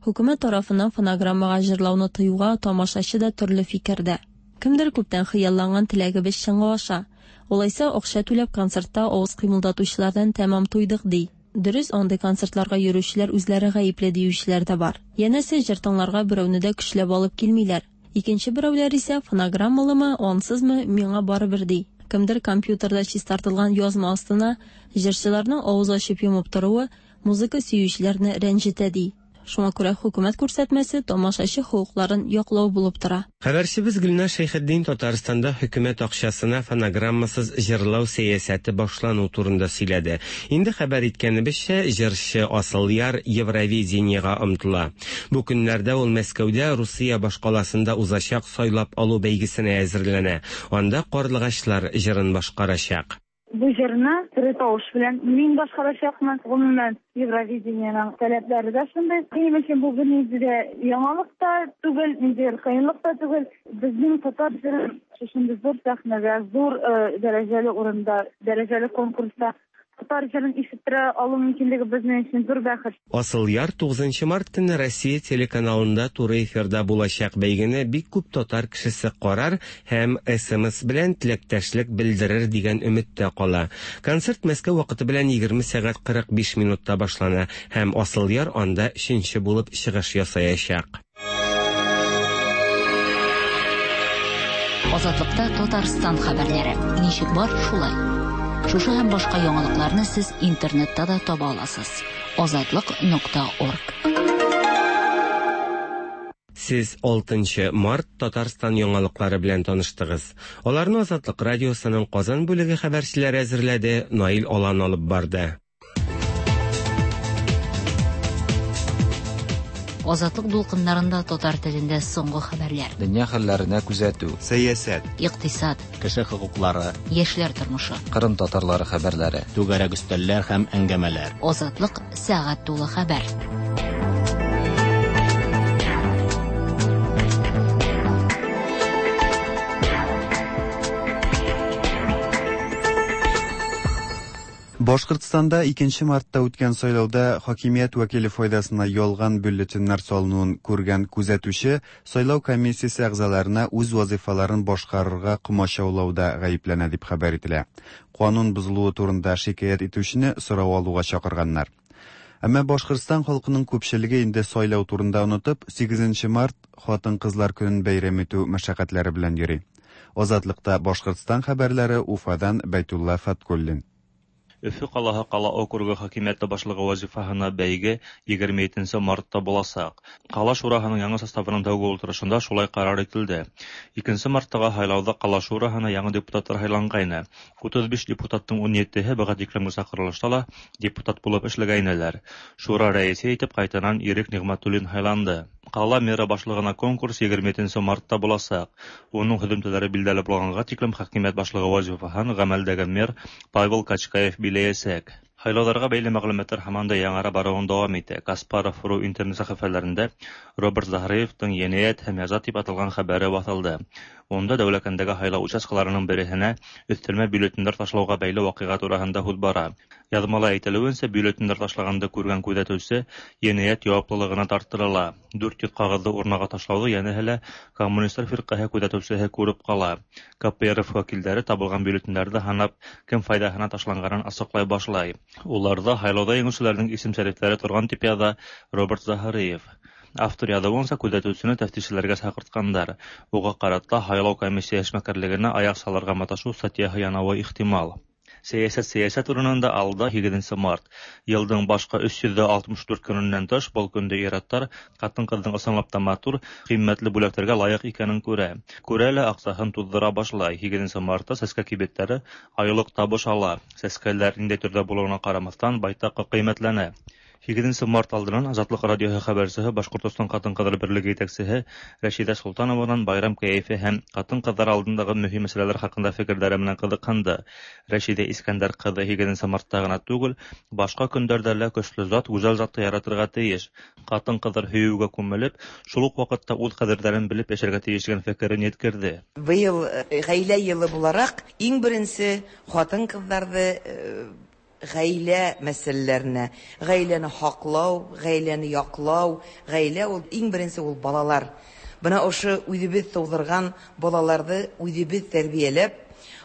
Хөкүмәт тарафыннан фонограммага җырлауны тыюга тамашачы да төрле фикердә. Кемдер күптән хыялланган теләгебез чынга аша. Алайса акча түләп концертта авыз кыймылдатучылардан тәмам туйдык ди. Дөрес, андый концертларга йөрүчеләр үзләре гаепле диючеләр дә бар. Янәсе җыр тыңларга берәүне дә көчләп алып килмиләр. Икенче берәүләр исә фонограммалымы, ансызмы, миңа барыбер ди. Кемдер компьютерда чистартылган язма астына җырчыларның авыз ачып йомып торуы музыка сөючеләрне рәнҗетә ди. Шуңа күрә хөкүмәт күрсәтмәсе тамашачы хокукларын яклау булып тора. Хәбәрчебез Гөлназ Шәйхетдин Татарстанда хөкүмәт акчасына фонограммасыз җырлау сәясәте башлану турында сөйләде. Инде хәбәр иткәнебезчә, җырчы Асылъяр Евровидениега омтыла. Бу көннәрдә ул Мәскәүдә Русия башкаласында узачак сайлап алу бәйгесенә әзерләнә. Анда Карлыгачлар җырын башкарачак. Бу җырны тере тавыш белән мин башкарачакмын. Гомумән, Евровидениеның таләпләре дә шундый. Минем өчен бу бернинди дә яңалык та түгел, ниндидер кыенлык та түгел. Безнең татар җырын шушындый зур сәхнәдә, зур дәрәҗәле урында, дәрәҗәле конкурста татар җырын ишеттерә алу мөмкинлеге безнең өчен зур бәхет. Асылъяр тугызынчы март көнне Россия телеканалында туры эфирда булачак бәйгене бик күп татар кешесе карар һәм эс эм эс белән теләктәшлек белдерер дигән өметтә кала. Концерт Мәскәү вакыты белән егерме сәгать кырык биш минутта башлана һәм Асылъяр анда өченче булып чыгыш ясаячак. Азатлыкта Татарстан хәбәрләре. Ничек бар, шулай. Шушы һәм башка яңалыкларны сез интернетта да таба аласыз. Азатлык нокта орг. Сез алтынчы март Татарстан яңалыклары белән таныштыгыз. Аларны Азатлык радиосының Казан бүлеге хәбәрчеләре әзерләде, Наил Алан алып барды. Азатлык дулкыннарында татар телендә соңгы хәбәрләр. Дөнья хәлләренә күзәтү, сәясәт, икътисад, кеше хокуклары, яшьләр тормышы, Кырым татарлары хәбәрләре, түгәрәк өстәлләр һәм әңгәмәләр. Азатлык сәгать тулы хәбәр. Башкортстанда икенче мартта үткән сайлауда хакимият вәкиле файдасына ялган бюллетеннәр салынуын күргән күзәтүче сайлау комиссиясе әгъзаларына үз вазифаларын башкарырга комачаулауда гаепләнә дип хәбәр ителә. Канун бозылуы турында шикаять итүчене сорау алуга чакырганнар. Әмма Башкортстан халкының күпчелеге инде сайлау турында онытып, сигезенче март хатын-кызлар көнен бәйрәм итү мәшәкатьләре белән йөри. Азатлыкта Башкортстан хәбәрләре Уфадан Бәйтулла Фаткуллин. Өфө ҡалаһы ҡала округы хакимиәте башлығы вазифаһына бәйге егерме етенсе мартта буласаҡ. Ҡала шураһының яңы составының тәүге ултырышында шулай ҡарар ителде. Икенсе марттағы һайлауҙа ҡала шураһына яңы депутаттар һайланғайны. Утыҙ биш депутаттың ун етеһе быға тиклемге саҡырылышта ла депутат булып эшләгәйнеләр. Шура рәйесе итеп ҡайтанан Ирек Ниғмәтуллин һайланды. Ҡала мэры башлығына конкурс егерме етенсе мартта буласаҡ. Уның һөҙөмтәләре билдәле булғанға тиклем хакимиәт башлығы вазифаһын ғәмәлдәге мэр Павел Качкаев биләйәсәк. Һайлауҙарға бәйле мәғлүмәттәр һаман да яңара барыуын дауам итә. Каспаров ру интернет сәхифәләрендә Роберт Заһриевтың енәйәт һәм яза тип аталған хәбәре баҫылды. Унда Дәүләкәндәге һайлау участкаларының береһенә өҫтәлмә бюллетендәр ташлауға бәйле ваҡиға тураһында һүҙ бара. Яҙмала әйтелеүенсә, бюллетендәр ташлағанды күргән күҙәтеүсе енәйәт яуаплылығына тарттырыла. Дүрт йөҙ ҡағыҙҙы урнаға ташлауҙы йәнәһе лә коммунистар фирҡәһе күҙәтеүсеһе күреп ҡала. Ка Пэ Эр Эф вәкилдәре табылған бюллетендәрҙе һанап, кем файҙаһына ташланғанын асыҡлай башлай. Уларҙа һайлауҙа еңеүселәрҙең исем-шәрифтәре торған тип яҙа Роберт Заһриев. Автор яҙыуынса, күҙәтеүсене тәфтишселәргә саҡыртҡандар. Уға ҡарата һайлау комиссия эшмәкәрлегенә аяҡ салырға маташыу статьяһы янауы ихтимал. Сәйәсәт сәйәсәт урынында алда һигеҙенсе март. Йылдың башҡа өс йөҙ алтмыш дүрт көнөнән тыш был көндә ир-аттар ҡатын-ҡыҙҙың ысынлап та матур, ҡиммәтле бүләктәргә лайыҡ икәнен күрә. Күрә лә аҡсаһын туҙҙыра башлай. Һигеҙенсе мартта сәскә кибеттәре айлыҡ табыш ала. Сәскәләр ниндәй төрҙә булыуына ҡарамаҫтан байтаҡ ҡиммәтләнә. Һигеҙенсе март алдынан Азатлыҡ радиоһы хәбәрсеһе Башҡортостан ҡатын-ҡыҙҙар берлеге етәксеһе Рәшиҙә Солтанованан байрам кәйефе һәм ҡатын-ҡыҙҙар алдындағы мөһим мәсьәләләр хаҡында фекерҙәре менән ҡыҙыҡһынды. Рәшиҙә Искәндәр ҡыҙы һигеҙенсе мартта ғына түгел, башҡа көндәрҙә лә көслө зат, гүзәл затты яратырға тейеш. Ҡатын-ҡыҙҙар һөйөүгә күмелеп, шул уҡ ваҡытта үҙ ҡәҙерҙәрен белеп йәшәргә тейеш тигән фекерен еткерҙе. Быйыл ғаилә йылы булараҡ иң беренсе ҡатын-ҡыҙҙарҙы ғаилә мәсьәләләренә, ғаиләне һаҡлау, ғаиләне яҡлау, ғаилә ул иң беренсе ул балалар. Бына ошо үҙебеҙ тыуҙырған балаларҙы үҙебеҙ тәрбиәләп,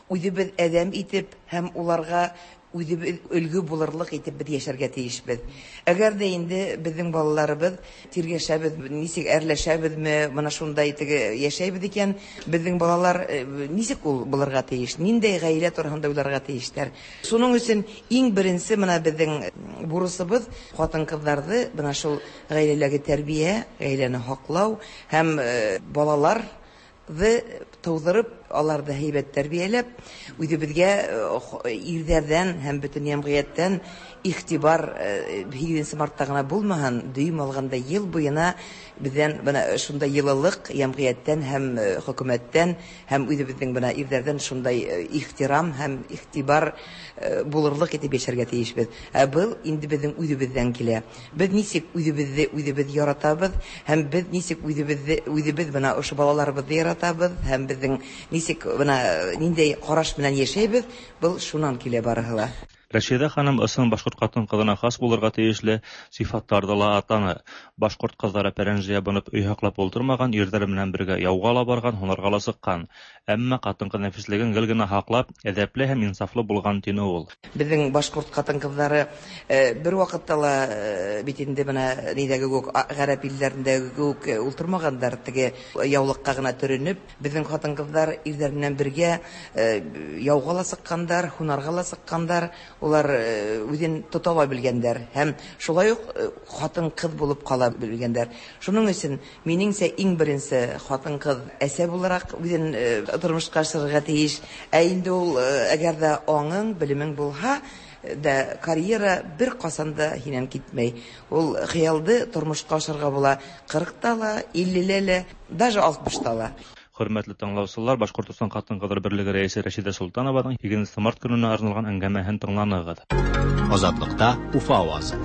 үҙебеҙ әҙәм итеп һәм уларға үҙебеҙ өлгө булырлыҡ итеп беҙ йәшәргә тейешбеҙ. Әгәр ҙә инде беҙҙең балаларыбыҙ тиргәшәбеҙ, нисек әрләшәбеҙме, бына шундай теге йәшәйбеҙ икән, беҙҙең балалар нисек ул булырға тейеш, ниндәй ғаилә тураһында уйларға тейештәр. Шуның өсөн иң беренсе бына беҙҙең бурысыбыҙ ҡатын-ҡыҙҙарҙы бына шул ғаиләләге тәрбиә, ғаиләне һаҡлау һәм балалар тыуҙырып, аларҙы һәйбәт тәрбиәләп, үҙебеҙгә ирҙәрҙән һәм бөтөн йәмғиәттән иғтибар һигеҙенсе мартта ғына булмаһын, дөйөм алғанда йыл буйына беҙҙән бына шундай йылылыҡ йәмғиәттән һәм хөкүмәттән һәм үҙебеҙҙең бына ирҙәрҙән шундай ихтирам һәм иғтибар булырлыҡ итеп йәшәргә тейешбеҙ. Ә был инде беҙҙең үҙебеҙҙән килә. Беҙ нисек үҙебеҙҙе үҙебеҙ яратабыҙ һәм беҙ нисек үҙебеҙҙе үҙебеҙ бына ошо балаларыбыҙҙы яратабыҙ һәм беҙҙең нисек бына ниндәй ҡараш менән йәшәйбеҙ, был шунан килә барыһы ла. Рәшиҙә ханым ысын башҡорт ҡатын-ҡыҙына хас булырға тейешле сифаттарҙы ла атаны. Башҡорт ҡыҙҙары пәрәнжә ябынып өй һаҡлап ултырмаған, ирҙәре менән бергә яуға ла барған, һунарға ла сыҡҡан. Әммә ҡатын-ҡыҙ нәфислеген гел генә һаҡлап, әҙәпле һәм инсафлы булған, тине ул. Беҙҙең башҡорт ҡатын-ҡыҙҙары бер ваҡытта ла бит инде бына ниҙәге кеүек, ғәрәп илдәрендәге кеүек ултырмағандар, теге яулыҡҡа ғына төрөнөп. Беҙҙең ҡатын-ҡыҙҙар ирҙәр менән бергә яуға ла сыҡҡандар, һунарға ла сыҡҡандар. Улар үҙен тота ла белгәндәр һәм шулай уҡ ҡатын-ҡыҙ булып ҡала белгәндәр. Шуның өсөн минеңсә иң беренсе ҡатын-ҡыҙ әсә булараҡ үҙен тормошҡа ашырырға тейеш. Ә инде ул әгәр ҙә аңың, белемең булһа, да карьера бер ҡасан да һинән китмәй. Ул хыялды тормошҡа ашырға була ҡырҡта ла, иллелә лә, даже алтмышта ла. Хөрмәтле тыңлаусылар, Башҡортостан ҡатын-ҡыҙҙар берлеге рәйесе Рәшиҙә Солтанованың һигеҙенсе март көнөнә арналған әңгәмәһен тыңланығыҙ. Азатлыҡта Уфа ауазы.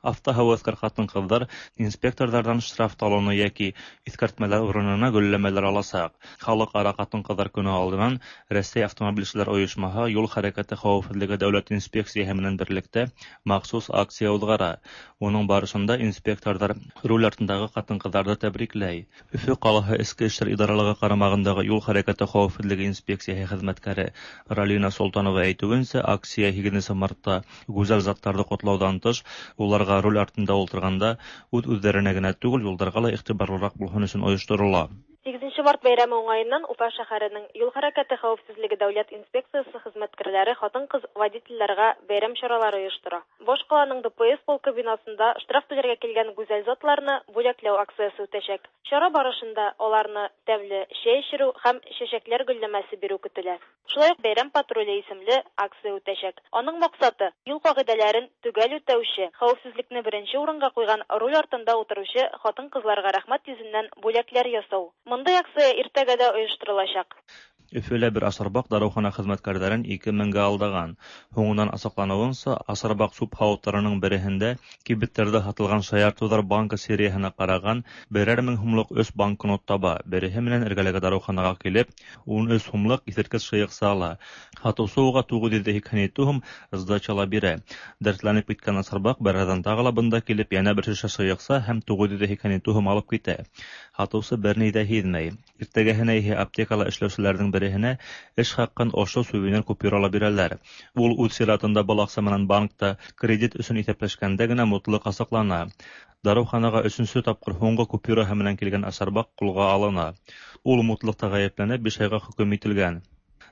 Автоһәүәҫкәр ҡатын-ҡыҙҙар инспекторҙарҙан штраф талоны йәки иҫкәртмәләр урынына гөлләмәләр аласаҡ. Халыҡ-ара ҡатын-ҡыҙҙар көнө алдынан Рәсәй автомобилселәр ойошмаһы юл хәрәкәте хәүефһеҙлеге дәүләт инспекцияһы менән берлектә махсус акция уҙғара. Уның барышында инспекторҙар руль артындағы ҡатын-ҡыҙҙарҙы тәбрикләй. Өфө ҡалаһы Эске эштәр идаралығы ҡарамағындағы юл хәрәкәте хәүефһеҙлеге инспекцияһы хеҙмәткәре Ралина Солтанова әйтеүенсә, акция һигеҙенсе мартта гүзәл заттарҙы ҡотлауҙан тыш, уларға руль артында ултырғанда үҙ-үҙҙәренә генә түгел, юлдарға ла иғтибарлыраҡ булһын өсөн ойошторола. Сигезенче март бәйрәме уңаеннан Уфа шәһәренең юл хәрәкәте хәвефсезлеге дәүләт инспекциясе хезмәткәрләре хатын-кыз водительләргә бәйрәм чаралары оештыра. Башкаланың Д П С полкы бинасында штраф түләргә килгән гүзәл затларны бүләкләү акциясе үтәчәк. Чара барышында аларны тәмле чәй эчерү һәм чәчәкләр гөлләмәсе бирү көтелә. Шулай ук «Бәйрәм патруле» исемле акция үтәчәк. Аның максаты юл кагыйдәләрен төгәл үтәүче, хәвефсезлекне беренче урынга куйган руль артында утыручы хатын-кызларга рәхмәт йөзеннән бүләкләр ясау. Мондый акция иртәгә дә оештырылачак. Өфөлә бер асарбаҡ дарыухана хеҙмәткәрҙәрен ике меңгә алдаған. Һуңынан асыҡланыуынса, асарбаҡ сүп һауыттарының береһендә кибеттәрҙә һатылған шаяртыуҙар банкы серияһына ҡараған берәр мең һумлыҡ өс банкнот таба. Береһе менән эргәләге дарыуханаға килеп, ун өс һумлыҡ иҫерткес шыйыҡса ала. Һатыусы уға туғыҙ йөҙ һикһән ете һум сдача ла бирә. Дәртләнеп киткән асарбаҡ бер аҙҙан тағы ла бында килеп, йәнә бер шешә шыйыҡса һәм туғыҙ йөҙ һикһән ете һум алып китә. Һатыусы бер ни ҙә һиҙмәй. Иртәгәһенә иһә аптекала эшләүселәрҙең береһенә эш хаҡын ошо сувенир купюрала бирәләр. Ул үҙ сиратында был аҡса менән банкта кредит өсөн иҫәпләшкәндә генә мутлыҡ асыҡлана. Дарыуханаға өсөнсө тапҡыр һуңғы купюраһы менән килгән асарбаҡ ҡулға алына. Ул мутлыҡта ғәйепләнеп, биш айға хөкөм ителгән.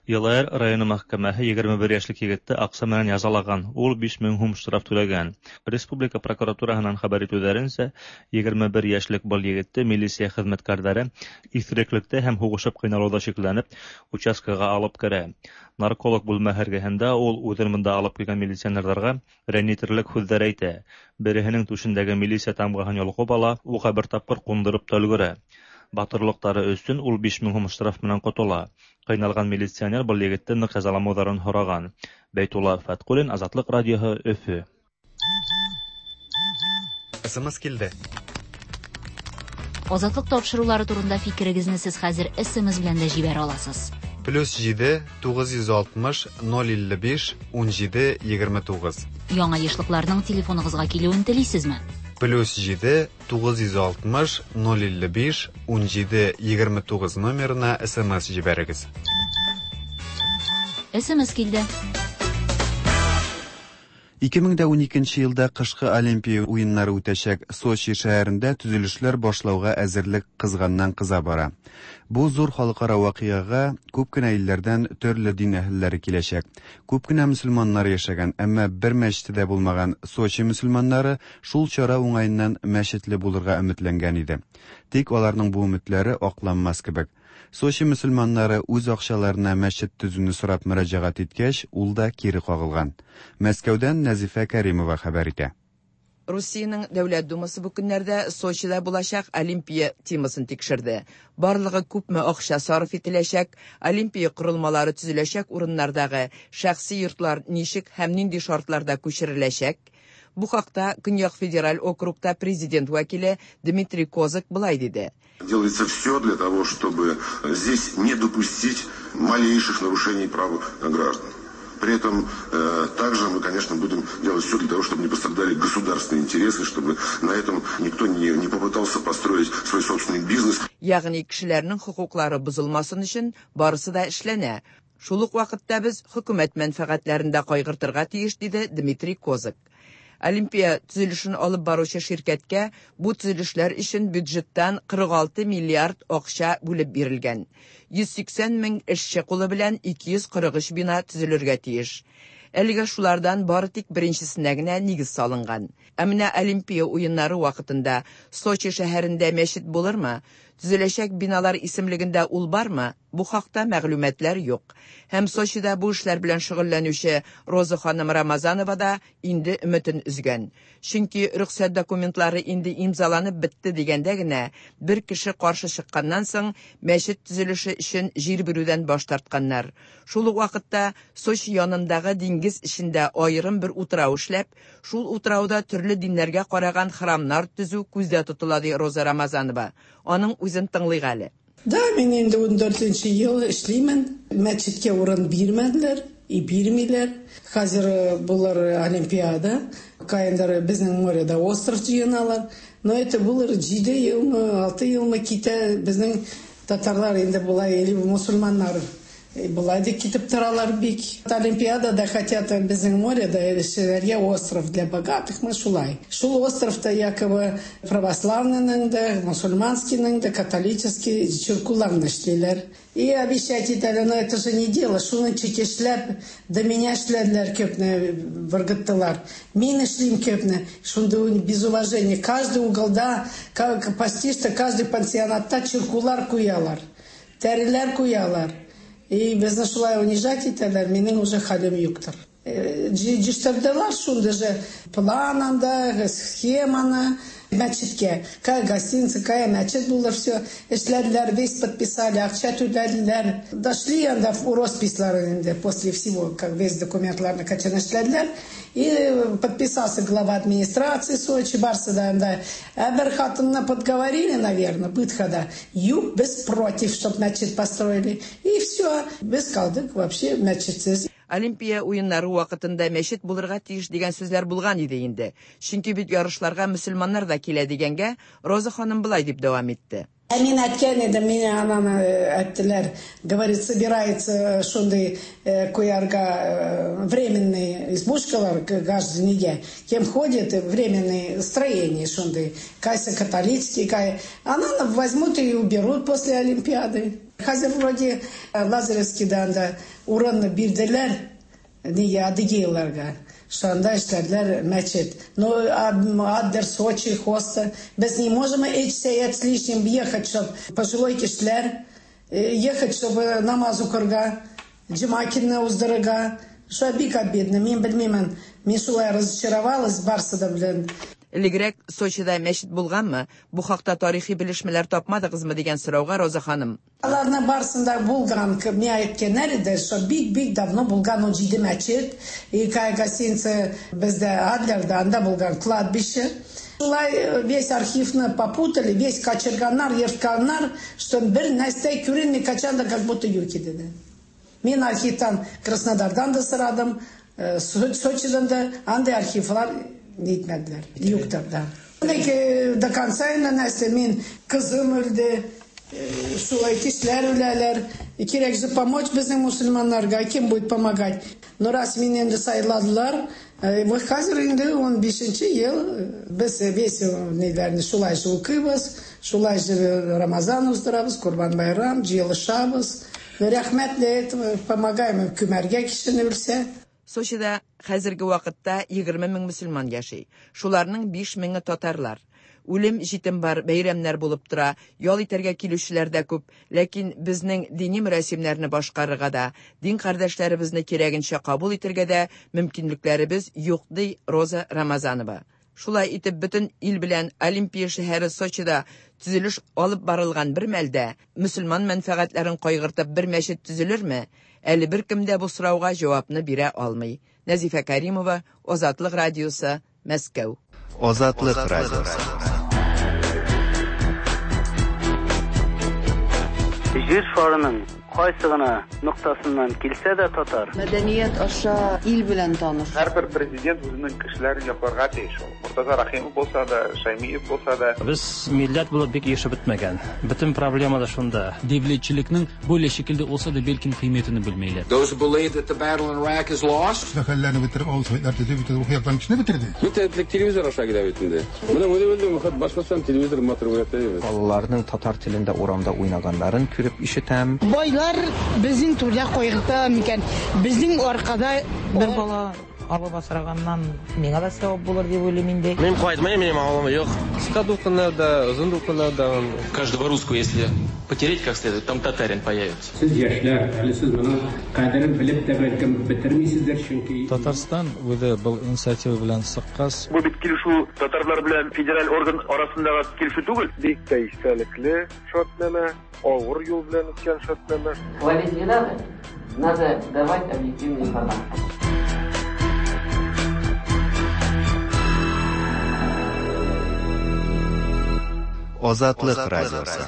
Йылайыр районы мәхкәмәһе егерме бер йәшлек егетте аҡса менән язалаған. Ул биш мең һум штраф түләгән. Республика прокуратураһынан хәбәр итеүҙәренсә, егерме бер йәшлек был егетте милиция хеҙмәткәрҙәре иҫереклектә һәм һуғышып ҡыйналыуҙа шикләнеп, участкаға алып керә. Нарколог бүлмәһе эргәһендә ул үҙен бында алып килгән милиционерҙарға рәнйетерлек һүҙҙәр әйтә. Береһенең түшендәге милиция тамғаһын йолҡоп ала, уға бер тапҡыр ҡундырып та өлгөрә. Батырлыҡтары өсөн ул биш мең һум штраф менән ҡотола. Ҡыйналған милиционер был егетте ныҡ язаламауҙарын һораған. Бәйтулла Фәтҡуллин, Азатлыҡ радиоһы, Өфө. С М С килде. Азатлык тапшырулары турында фикерегезне сез хәзер С М С белән дә җибәрә аласыз. Плюс җиде тугыз йөз алтмыш ноль илле биш унҗиде егерме тугыз. Яңа ешлыкларның телефоныгызга килүен телисезме? Плюс җиде тугыз йөз алтмыш ноль илле биш унҗиде егерме тугыз номерына С М С җибәрегез. С М С килде. ике мең дә уникенче елда кышкы Олимпия уеннары үтәчәк Сочи шәһәрендә төзелешләр башлауга әзерлек кызганнан кыза бара. Бу зур халыкара вакыйгага күп кенә илләрдән төрле дин әһелләре киләчәк. Күп кенә мөселманнар яшәгән, әмма бер мәчете дә булмаган Сочи мөселманнары шул чара уңаеннан мәчетле булырга өметләнгән иде. Тик аларның бу өметләре акланмас кебек. Сочи мөселманнары үз акчаларына мәчет төзүне сорап мөрәҗәгать иткәч, ул да кире кагылган. Мәскәүдән Нәзифә Кәримова хәбәр итә. Русиянең Дәүләт Думасы бу көннәрдә Сочида булачак Олимпия темасын тикшерде. Барлыгы күпме акча сарыф ителәчәк, Олимпия корылмалары төзеләчәк урыннардагы шәхси йортлар ничек һәм нинди шартларда күчереләчәк? Бу хакта Көньяк федераль округта президент вәкиле Дмитрий Козак былай диде. Делается все для того, чтобы здесь не допустить малейших нарушений прав граждан. При этом э, также мы, конечно, будем делать все для того, чтобы не пострадали государственные интересы, чтобы на этом никто не, не попытался построить свой собственный бизнес. Ягъни кешеләрнең хокуклары бозылмасын өчен барысы да эшләнә. Шул ук вакытта без хөкүмәт мәнфәгатьләрен дә кайгыртырга тиеш, диде Дмитрий Козак. Олимпия төзелешен алып баручы ширкәткә бу төзелешләр өчен бюджеттан кырык алты миллиард акча бүлеп бирелгән. йөз сиксән мең эшче кулы белән ике йөз кырык өч бина төзелергә тиеш. Әлегә шулардан бары тик беренчесенә генә нигез салынган. Ә менә Олимпия уеннары вакытында Сочи шәһәрендә мәчет булырмы? Төзеләчәк биналар исемлегендә ул бармы? Бу хакта мәгълүматлар юк. Һәм Сочида бу эшләр белән шөгыльләнүче Роза ханым Рамазанова да инде өметен өзгән. Чөнки рөхсәт документлары инде имзаланып бетте дигәндә генә бер кеше каршы чыкканнан соң мәчет төзелеше өчен җир бирүдән баш тартканнар. Шул ук вакытта Сочи янындагы диңгез эчендә аерым бер утрау эшләп, шул утрауда төрле диннәргә караган храмнар төзү күздә тотыла, ди Роза Рамазанова. Аның үзен тыңлыйк әле. Да, мин инде ундүртенче ел эшлимен. Мәчеткә урын бирмәделәр и бирмиләр. Хәзер э, булыр Олимпиада. Каяндыр безнең моряда остров җыеналар. Но это булыр җиде елмы, алты елмы китә. Безнең татарлар инде болай или мусульманнар Болай да китеп торалар бик. Олимпиадада хотят безнең моряда эшләргә остров для богатых, мы шулай. Шул островта якобы православныйның да, мусульманскийның да, католический чиркуларны эшлиләр. И обещать итәләр, но это же не дело. Шуны чекешләп, до меня эшләделәр көпне, выргыттылар. Мин эшлим көпне. Шунда без уважения. Каждый уголда, почти что каждый пансионатта чиркулар куялар. Тәреләр куялар. И безне шулай унижать итәләр, минем уже хәлем юктыр. Җитештерделәр шундый же план анда, схеманы, мәчеткә. Кая гостиница, кая мәчет булыр, все. Эшләделәр, весь подписали, акча түләделәр. Дошли анда в росписьлары инде, после всего, как весь документларны качан эшләделәр. И подписался глава администрации Сочи, барсы да анда. Ә бер хатынны подговорили, наверное, бытхада. Юк, без против, чтоб мәчет построили. И все, без калдык вообще мәчетсез. Олимпия уеннары вакытында мәчет булырга тиеш дигән сүзләр булган иде инде. Чөнки бит ярышларга мөселманнар да килә дигәнгә Роза ханым былай дип дәвам итте. Ә мин әйткән идем, мине ананы әйттеләр, говорит, собирается шундый куярга временный избушкалар граждане, кем ходит временные строения шундый, кайсы католический, кай... Ананы возьмут и уберут после Олимпиады. Хәзер вроде Лазаревскийда анда урынны бирделәр, нигә адыгейларга. Шунда эшләделәр мәчет. Но Аддер, Сочи, Хоста. Без не можем эти сәгать с лишним ехать, чтоб пожилой кешеләр ехать, чтобы намаз укырга, җомга көнне уздырырга. Шулай бик обидно. Мин белмимен. Мин шулай разочаровалась барсы да белән. Элегрәк Сочида мәчет булганмы? Бу хакта тарихи белешмәләр тапмадыгызмы дигән сорауга Роза ханым. Аларның барысында булган, миңа әйткәннәр иде, что бик-бик давно булган ул җиде мәчет. И кая гостиница бездә Адлерда, анда булган кладбище. Шулай весь архивны попутали, весь качырганнар, ертканнар, что бер нәрсә күренми, качан да как будто юк иде. Мин архивтан Краснодардан да сорадым, Сочидан да, андай архивлар нитмәделәр, юктыр да. До конца инде нәрсә, мин кызым үлде, шулай кешеләр үләләр. Кирәк же помочь безнең мусульманнарга, кем будет помогать? Но раз мине инде сайладылар, вот хәзер инде ун бишенче ел без весь ниләрне шулай же укыйбыз, шулай же Рамазан уздырабыз, Курбан байрам, җыелышабыз. Рәхмәт для этого помогаем күмәргә кешене үлсә. Сочида хәзерге вакытта егерме мең мөселман яши. Шуларның биш меңе татарлар. Үлем җитем бар, бәйрәмнәр булып тора, ял итәргә килүчеләр дә күп, ләкин безнең дини мөрәсимнәрне башкарырга да, дин кардәшләребезне кирәгенчә кабул итәргә дә мөмкинлекләребез юк, ди Роза Рамазанова. Шулай итеп бөтен ил белән Олимпия шәһәре Сочида төзелеш алып барылган бер мәлдә мөселман мәнфәгатьләрен кайгыртып бер мәчет төзелерме? Әле беркем дә бу сорауга җавапны бирә алмый. Нәзифә Каримова, Азатлык радиосы, Мәскәү. Азатлык радиосы. Җир шарының кайсы гына ноктасыннан килсә дә татар. Мәдәният аша ил белән таныш. Һәрбер президент үзенең кешеләрен якларга тиеш ул. Муртаза Рахимов булса да, Шаймиев булса да. Без милләт булып бик ешеп бетмәгән. Бөтен проблема да шунда. Devletçilikning böyle şekilde olsa da belki kıymetini bilmeyler. Those who believe that the battle in Iraq is lost. Хәлләрне бетереп, авыл советлар төзеп, бөтен рухи яктан кешене бетерде. Бөтен телевизор аша килә бит инде. Менә үзе белдем, башкортстан телевизор матур күрәтә. Балаларның татар телендә урамда уйнаганнарын күреп ишетәм. Байлар безнең түрдә кайгырта микән? Безнең аркада бер бала алып асраганнан миңа да савап булыр дип уйлыйм инде. Мин кайтмыйм, минем авылым юк. Кыска дулкыннарда, озын дулкыннарда. Каждого русского, если потереть как следует, там татарин появится. Сез яшьләр, әле сез моның кадерен белеп тә бәлкем бетермисездер, чөнки Татарстан үзе был инициатива белән чыккач. Бу бит килешү татарлар белән федераль орган арасындагы килешү түгел. Бик тә истәлекле шартнамә, авыр юл белән үткән шартнамә. Хвалить не надо, надо давать объективную информацию. Азатлык радиосы.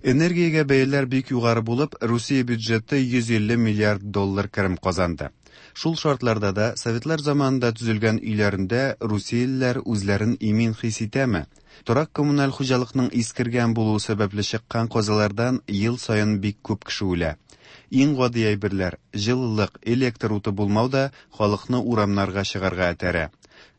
Энергиягә бәяләр бик югары булып, Русия бюджеты йөз илле миллиард доллар керем казанды. Шул шартларда да Советлар заманында төзелгән өйләрендә русиялеләр үзләрен имин хис итәме? Торак коммуналь хуҗалыкның искергән булуы сәбәпле чыккан казалардан ел саен бик күп кеше үлә. Иң гади әйберләр, җылылык, электр уты булмау да халыкны урамнарга чыгарга этәрә.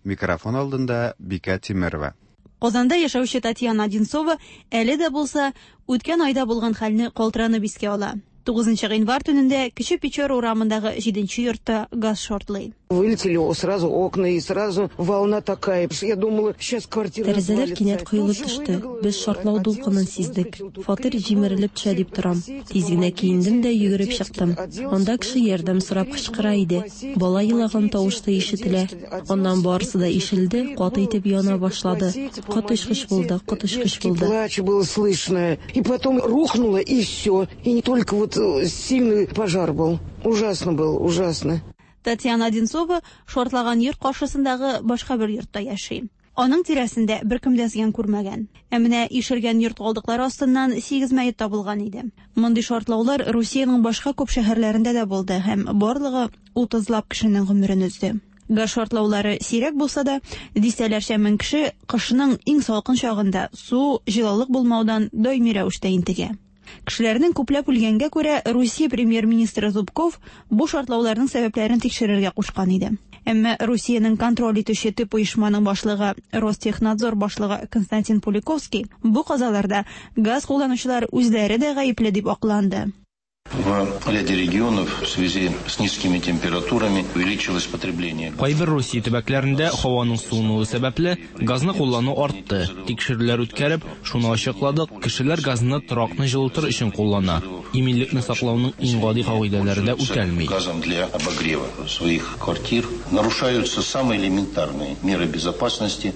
Микрофон алдында Бикә Тимерова. Казанда яшәүче Татьяна Одинцова әле дә булса үткән айда булган хәлне калтыранып искә ала. Тугызынчы гыйнвар төнендә Кече Печора урамындагы җиденче йортта газ шартлый. Вылетели сразу окна и сразу волна такая. Я думала, сейчас квартира. Тәрәзәләр кинәт коелып төште. Без шартлау дулкынын сиздек. Фатир җимерелеп төшә дип торам. Тиз генә киендем дә йөгереп чыктым. Анда кеше ярдәм сорап кычкыра иде. Бала елаган тавыш та ишетелә. Аннан барысы да ишелде, каты итеп яна башлады. Коточкыч булды, коточкыч булды. Плач было слышно. И потом рухнуло, и все. И не только вот сильный пожар был. Ужасно был, ужасно. Татьяна Одинцова шартлаган йорт каршысындагы башка бер йортта яши. Аның тирәсендә беркем дә зыян күрмәгән. Ә менә ишелгән йорт калдыклары астыннан сигез мәет табылган иде. Мондый шартлаулар Русиянең башка күп шәһәрләрендә дә булды һәм барлыгы утызлап кешенең гомерен өзде. Газ шартлаулары сирәк булса да, дистәләрчә мең кеше кышның иң салкын чагында су, җылылык булмаудан даими рәвештә интегә. Кешеләрнең күпләп үлгәнгә күрә Русия премьер-министры Зубков бу шартлауларның сәбәпләрен тикшерергә кушкан иде. Әмма Русиянең контроль итүче төп оешманың башлыгы Ростехнадзор башлыгы Константин Пуликовский бу казаларда газ кулланучылар үзләре дә гаепле дип акланды. В ряде регионов в связи с низкими температурами увеличилось потребление. Кайбер Русия төбәкләрендә һаваның суынуы сәбәпле газны куллану артты. Тикшерүләр үткәреп, шуны ачыкладык, кешеләр газны торакны җылытыр өчен куллана. Иминлекне саклауның иң гади кагыйдәләре дә үтәлми. Газом для обогрева своих квартир нарушаются самые элементарные меры безопасности.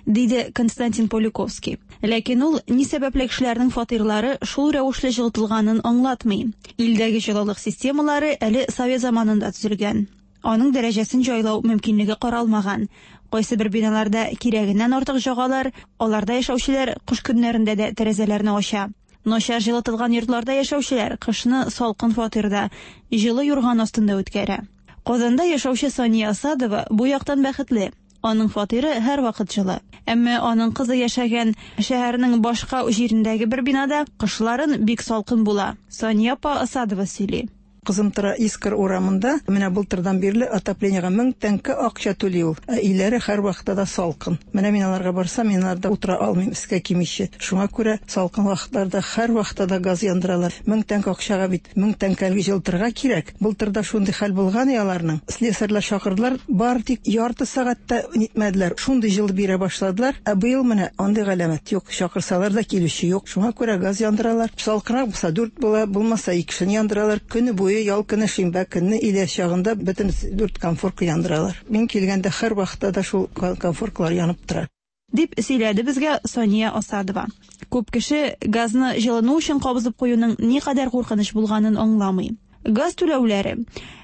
Диде Константин Поликовский. Ләкин ул ни сәбәпле кешеләрнең фатирлары шул рәвешле җылытылганын аңлатмый. Илдәге җылылык системалары әле совет заманында төзелгән. Аның дәрәҗәсен җайлау мөмкинлеге каралмаган. Кайсы бер биналарда кирәгеннән артык җагалар, аларда яшәүчеләр кыш көннәрендә дә тәрәзәләрне ача. Начар җылытылган йортларда яшәүчеләр кышны салкын фатирда, җылы юрган астында үткәрә. Казанда яшәүче Сания Асадова бу яктан бәхетле. Аның фатиры һәр вакыт җылы. Әмма аның кызы яшәгән шәһәрнең башка җирендәге бер бинада кышларын бик салкын була. Сания апа Асадова сөйли. Кызым тора Искр урамында, менә былтырдан бирле отоплениега мең тәңкә акча түли ул. Ә өйләре һәр вакытта да салкын. Менә мин аларга барсам, мин аларда утыра алмыйм, өскә кимичә. Шуңа күрә салкын вакытларда һәр вакытта да газ яндыралар. Мең тәңкә акчага бит мең тәңкәлге җылытырга кирәк. Былтырда шундый хәл булган и аларның. Слесарьлар чакырдылар, бар тик ярты сәгатьтә нитмәделәр. Шундый җылы бирә башладылар. Ә быел менә андый галәмәт юк. Чакырсалар да килүче юк. Шуңа күрә газ яндыралар. Салкынрак булса дүрт була, булмаса икесен яндыралар. Көне буе ял көне, шимбә көнне илә чагында бөтен дүрт конфорка яндыралар. Мин килгәндә һәр вакытта да шул конфоркалар янып тора. Дип сөйләде безгә Сания Асадова. Күп кеше газны җылыну өчен кабызып куюның никадәр куркыныч булганын аңламый. Газ түләүләре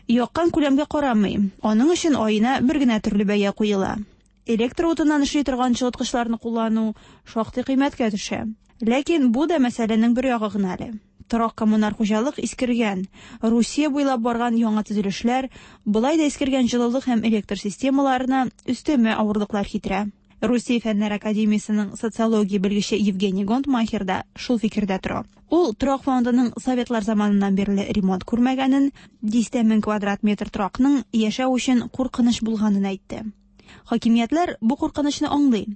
яккан күләмгә карамый. Аның өчен аена бер генә төрле бәя куела. Электр утыннан эшли торган җылыткычларны куллану шактый кыйммәткә төшә. Ләкин бу да мәсьәләнең бер ягы гына әле. Торак коммуналь хуҗалык искергән. Русия буйлап барган яңа төзелешләр былай да искергән җылылык һәм электр системаларына өстәмә авырлыклар китерә. Русия Фәннәр академиясенең социология белгече Евгений Гонтмахер да шул фикердә тора. Ул торак фондының советлар заманыннан бирле ремонт күрмәгәнен, дистә мең квадрат метр торакның яшәү өчен куркыныч булганын әйтте. Хакимиятләр бу куркынычны аңлый.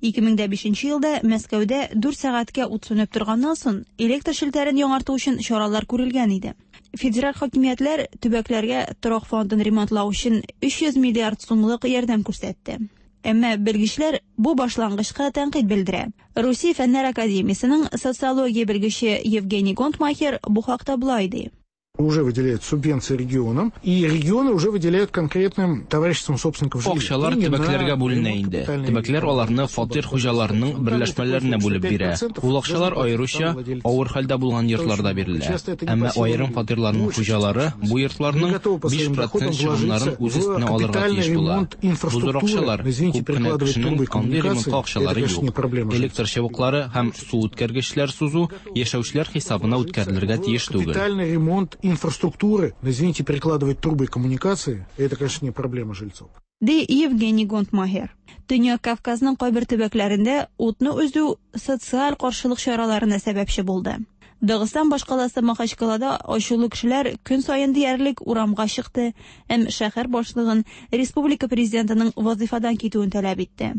ике мең бишенче елда Мәскәүдә дүрт сәгатькә ут сүнеп торганнан соң электр челтәрен яңарту өчен чаралар күрелгән иде. Федераль хакимиятләр төбәкләргә торак фондын ремонтлау өчен өч йөз миллиард сумлык ярдәм күрсәтте. Әмма белгечләр бу башлангычка тәнкыйть белдерә. Русия Фәннәр академиясенең социология белгече Евгений Гонтмахер бу хакта болай ди. Уже выделяют субвенции регионам, и регионы уже выделяют конкретным товариществам собственников жилья. Акчалар төбәкләргә бүленә инде. Төбәкләр аларны фатир хуҗаларының берләшмәләренә бүлеп бирә. Ул акчалар аеруча авыр хәлдә булган йортларда бирелә. Әмма аерым фатирларның хуҗалары бу йортларның биш процент чыгымнарын үз өстенә алырга тиеш була. Бу зур акчалар, күп кенә кешенең андый ремонтка акчалары юк. Электр чыбыклары һәм су үткәргечләр сузу яшәүчеләр хисабына үткәрелергә тиеш түгел. Капитальный ремонт инфраструктуры, но, извините, перекладывать трубы и коммуникации, это, конечно, не проблема жильцов. Ди Евгений Гонтмахер. Төньяк Кавказның кайбер төбәкләрендә утны өзү социаль каршылык чараларына сәбәпче булды. Дагыстан башкаласы Махачкалада ачулы кешеләр көн саен диярлек урамга чыкты һәм шәһәр башлыгын республика президентының вазифадан китүен таләп итте.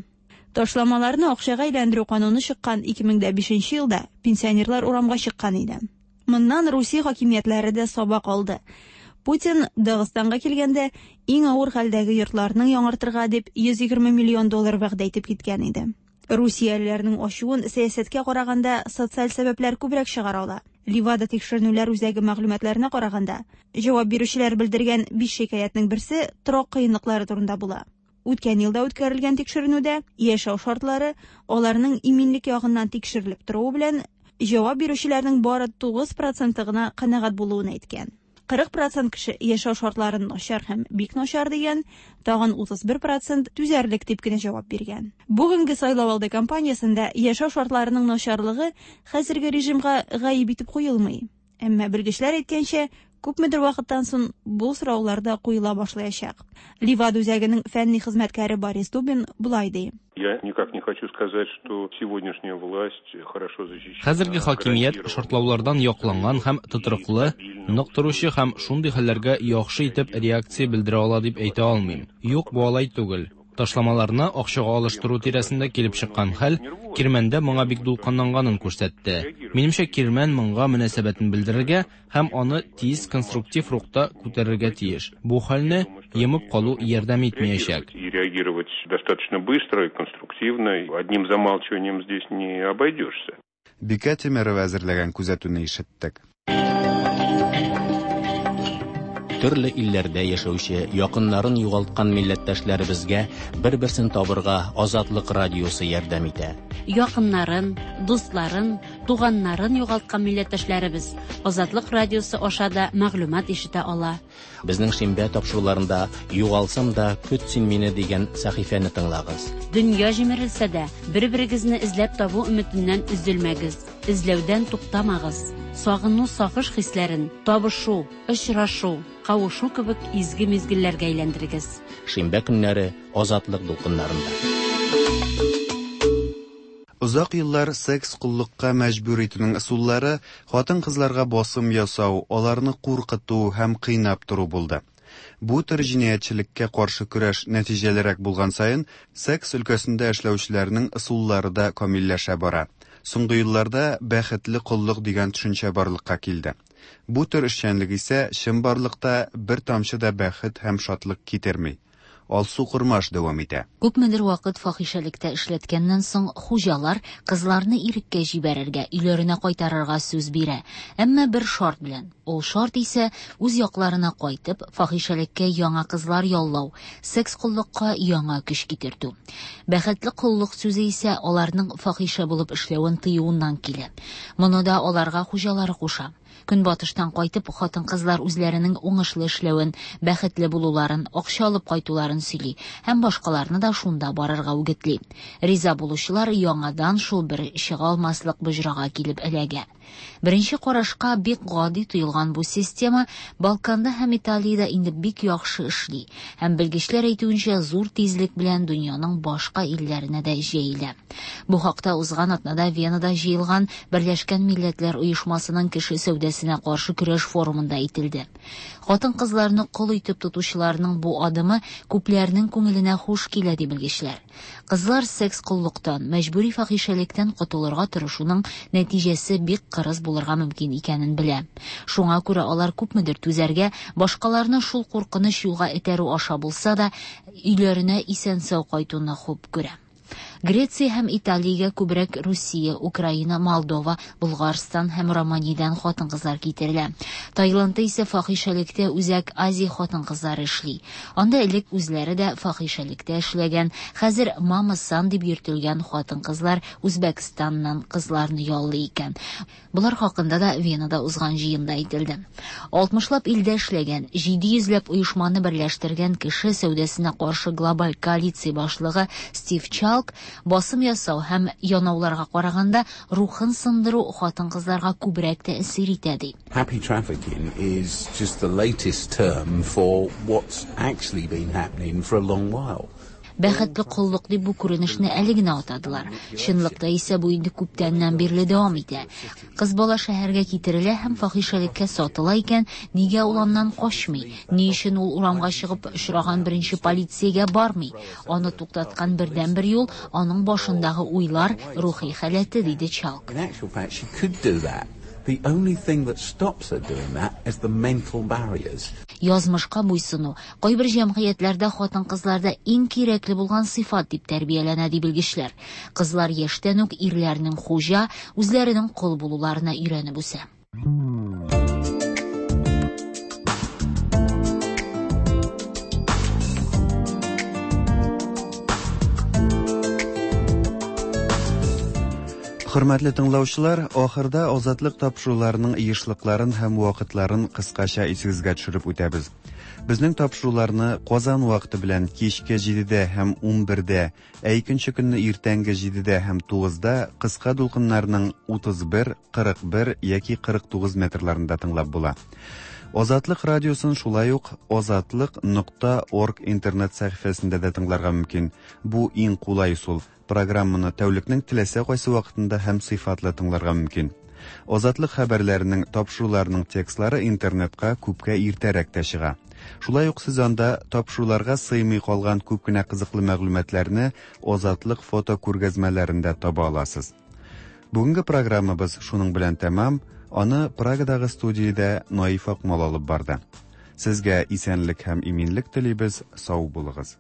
Ташламаларны акчага әйләндерү кануны чыккан ике мең дә бишенче елда пенсионерлар урамга чыккан иде. Моннан Русия хакимиятләре дә сабак алды. Путин Дагыстанга килгәндә иң авыр хәлдәге йортларның яңартырга дип йөз егерме миллион доллар вәгъдә итеп киткән иде. Русиялеләрнең ачуын сәясәткә караганда социаль сәбәпләр күбрәк чыгара ала. Ливада тикшеренүләр үзәге мәгълүматларына караганда, җавап бирүчеләр белдергән биш шикаятьнең берсе торак кыенлыклары турында була. Үткән елда үткәрелгән тикшеренүдә яшәү шартлары аларның иминлек ягыннан тикшерелеп торуы белән җавап бирүчеләрнең бары тугыз проценты гына канәгать булуын әйткән. Кырык процент кеше яшәү шартларын начар һәм бик начар дигән, тагын утыз бер процент түзәрлек дип кенә җавап биргән. Бүгенге сайлау алды кампаниясендә яшәү шартларының начарлыгы хәзерге режимга гаеп итеп куелмый. Әмма белгечләр әйткәнчә, күпмедер вакыттан соң бу сораулар да куела башлаячак. Ливада үзәгенең фәнни хезмәткәре Борис Дубин болай ди. Я никак не хочу сказать, что сегодняшняя власть хорошо защищена. Хәзерге хакимият шартлаулардан якланган һәм тотрыклы, нык торучы һәм шундый хәлләргә яхшы итеп реакция белдерә ала дип әйтә алмыйм. Юк, бу алай түгел. Ташламаларны акчага алыштыру тирәсендә килеп чыккан хәл Кирмәндә моңа бик дулкынланганын күрсәтте. Минемчә, Кирмән моңа мөнәсәбәтен белдерергә һәм аны тиз конструктив рухта күтәрергә тиеш. Бу хәлне йомып калу ярдәм итмәячәк. И реагировать достаточно быстро и конструктивно. Одним замалчиванием здесь не обойдешься. Бикә Тимерова әзерләгән күзәтүне ишеттек. Төрле илләрдә яшәүче, якыннарын югалткан милләттәшләребезгә бер-берсен табырга Азатлык радиосы ярдәм итә. Якыннарын, дусларын, туганнарын югалткан милләттәшләребез Азатлык радиосы аша да мәгълүмат ишетә ала. Безнең шимбә тапшыруларында Югалсам да көт син мине дигән сәхифәне тыңлагыз. Дөнья җимерелсә дә, бер-берегезне эзләп табу өметеннән өзелмәгез, эзләүдән туктамагыз. Сагыну, сагыш хисләрен табышу, очрашу, кавышу кебек изге мизгелләргә әйләндерегез. Шимбә көннәре Азатлык дулкыннарында. Озак еллар секс коллыкка мәҗбүр итүнең ысуллары хатын-кызларга басым ясау, аларны куркыту һәм кыйнап тору булды. Бу төр җинаятьчелеккә каршы көрәш нәтиҗәлерәк булган саен, секс өлкәсендә эшләүчеләрнең ысуллары да камилләшә бара. Соңгы елларда бәхетле коллык дигән төшенчә барлыкка килде. Бу төр эшчәнлек исә чынбарлыкта бер тамчы да бәхет һәм шатлык китерми. Алсу Курмаш дәвам итә. Күпмедер вакыт фахишәлектә эшләткәннән соң хуҗалар кызларны иреккә җибәрергә, өйләренә кайтарырга сүз бирә. Әмма бер шарт белән. Ул шарт исә үз якларына кайтып, фахишәлеккә яңа кызлар яллау, секс коллыкка яңа көч китертү. Бәхетле коллык сүзе исә аларның фахишә булып эшләвен тыюыннан килә. Моны да аларга хуҗалары куша. Көнбатыштан кайтып, хатын-кызлар үзләренең уңышлы эшләвен, бәхетле булуларын, акча алып кайтуларын сөйли һәм башкаларны да шунда барырга үгетли. Риза булучылар яңадан шул бер чыга алмаслык боҗрага килеп эләгә. Беренче карашка бик гади тоелган бу система Балканда һәм Италиядә инде бик яхшы эшли һәм белгечләр әйтүенчә зур тизлек белән дөньяның башка илләренә дә җәелә. Бу хакта узган атнада Венада җыелган Берләшкән Милләтләр Оешмасының кеше сәүдәсенә каршы көрәш форумында әйтелде. Хатын-кызларны кол итеп тотучыларның бу адымы күпләрнең күңеленә хуш килә ди белгечләр. Кызлар секс коллыктан, мәҗбүри фахишәлектән котылырга тырышуның нәтиҗәсе бик кырыс булырга мөмкин икәнен белә. Шуңа күрә алар күпмедер түзәргә, башкаларны шул куркыныч юлга этәрү аша булса да, өйләренә исән-сау кайтуны хуп күрә. Греция һәм Италиягә күбрәк Русия, Украина, Молдова, Булгарстан һәм Романиядән хатын-кызлар китерелә. Таиландта исә фахишәлектә Үзәк Азия хатын-кызлары эшли. Анда элек үзләре дә фахишәлектә эшләгән, хәзер мама-сан дип йөртелгән хатын-кызлар Үзбәкстаннан кызларны яллый икән. Болар хакында да Венада узган җыенда әйтелде. Алтмышлап илдә эшләгән, җиде йөзләп оешманы берләштергән кеше сәүдәсенә каршы глобаль коалиция башлыгы Стив Чалк басым ясау һәм янауларга караганда рухын сындыру хатын-кызларга күбрәк тәэсир итә ди. Happy trafficking is just the latest term for what's actually been happening for a long while. Бәхетле коллык дип бу күренешне әле генә атадылар. Чынлыкта исә бу инде күптәннән бирле дәвам итә. Кыз бала шәһәргә китерелә һәм фахишәлеккә сатыла икән, нигә ул аннан качмый? Ни өчен ул урамга чыгып очраган беренче полициягә бармый? Аны туктаткан бердәнбер юл аның башындагы уйлар, рухи халәте, диде Чалк. The only thing that stops her doing that is the mental barriers. Язмышка буйсыну кайбер җәмгыятьләрдә хатын-кызларда иң кирәкле булган сыйфат дип тәрбияләнә, ди белгечләр. Кызлар яшьтән үк ирләрнең хуҗа, үзләренең кол булуларына өйрәнеп үсә. Хөрмәтле тыңлаучылар, ахырда Азатлык тапшыруларының ешлыкларын һәм вакытларын кыскача исегезгә төшереп үтәбез. Безнең тапшыруларны Казан вакыты белән кичке җидедә һәм унбердә, ә икенче көнне иртәнге җидедә һәм тугызда кыска дулкыннарның утыз бер, кырык бер яки кырык тугыз метрларында тыңлап була. Азатлык радиосын шулай ук азатлык нокта орг интернет сәхифәсендә дә тыңларга мөмкин. Бу иң кулай ысул. Программаны тәүлекнең теләсә кайсы вакытында һәм сыйфатлы тыңларга мөмкин. Азатлык хәбәрләренең, тапшыруларының текстлары интернетка күпкә иртәрәк тә чыга. Шулай ук сез анда тапшыруларга сыймый калган күп кенә кызыклы мәгълүматларны Азатлык фото күргәзмәләрендә таба аласыз. Бүгенге программабыз шуның белән тәмам. Аны Прагадагы студиядә Наиф Акмал алып барды. Сезгә исәнлек һәм иминлек телибез, сау булыгыз.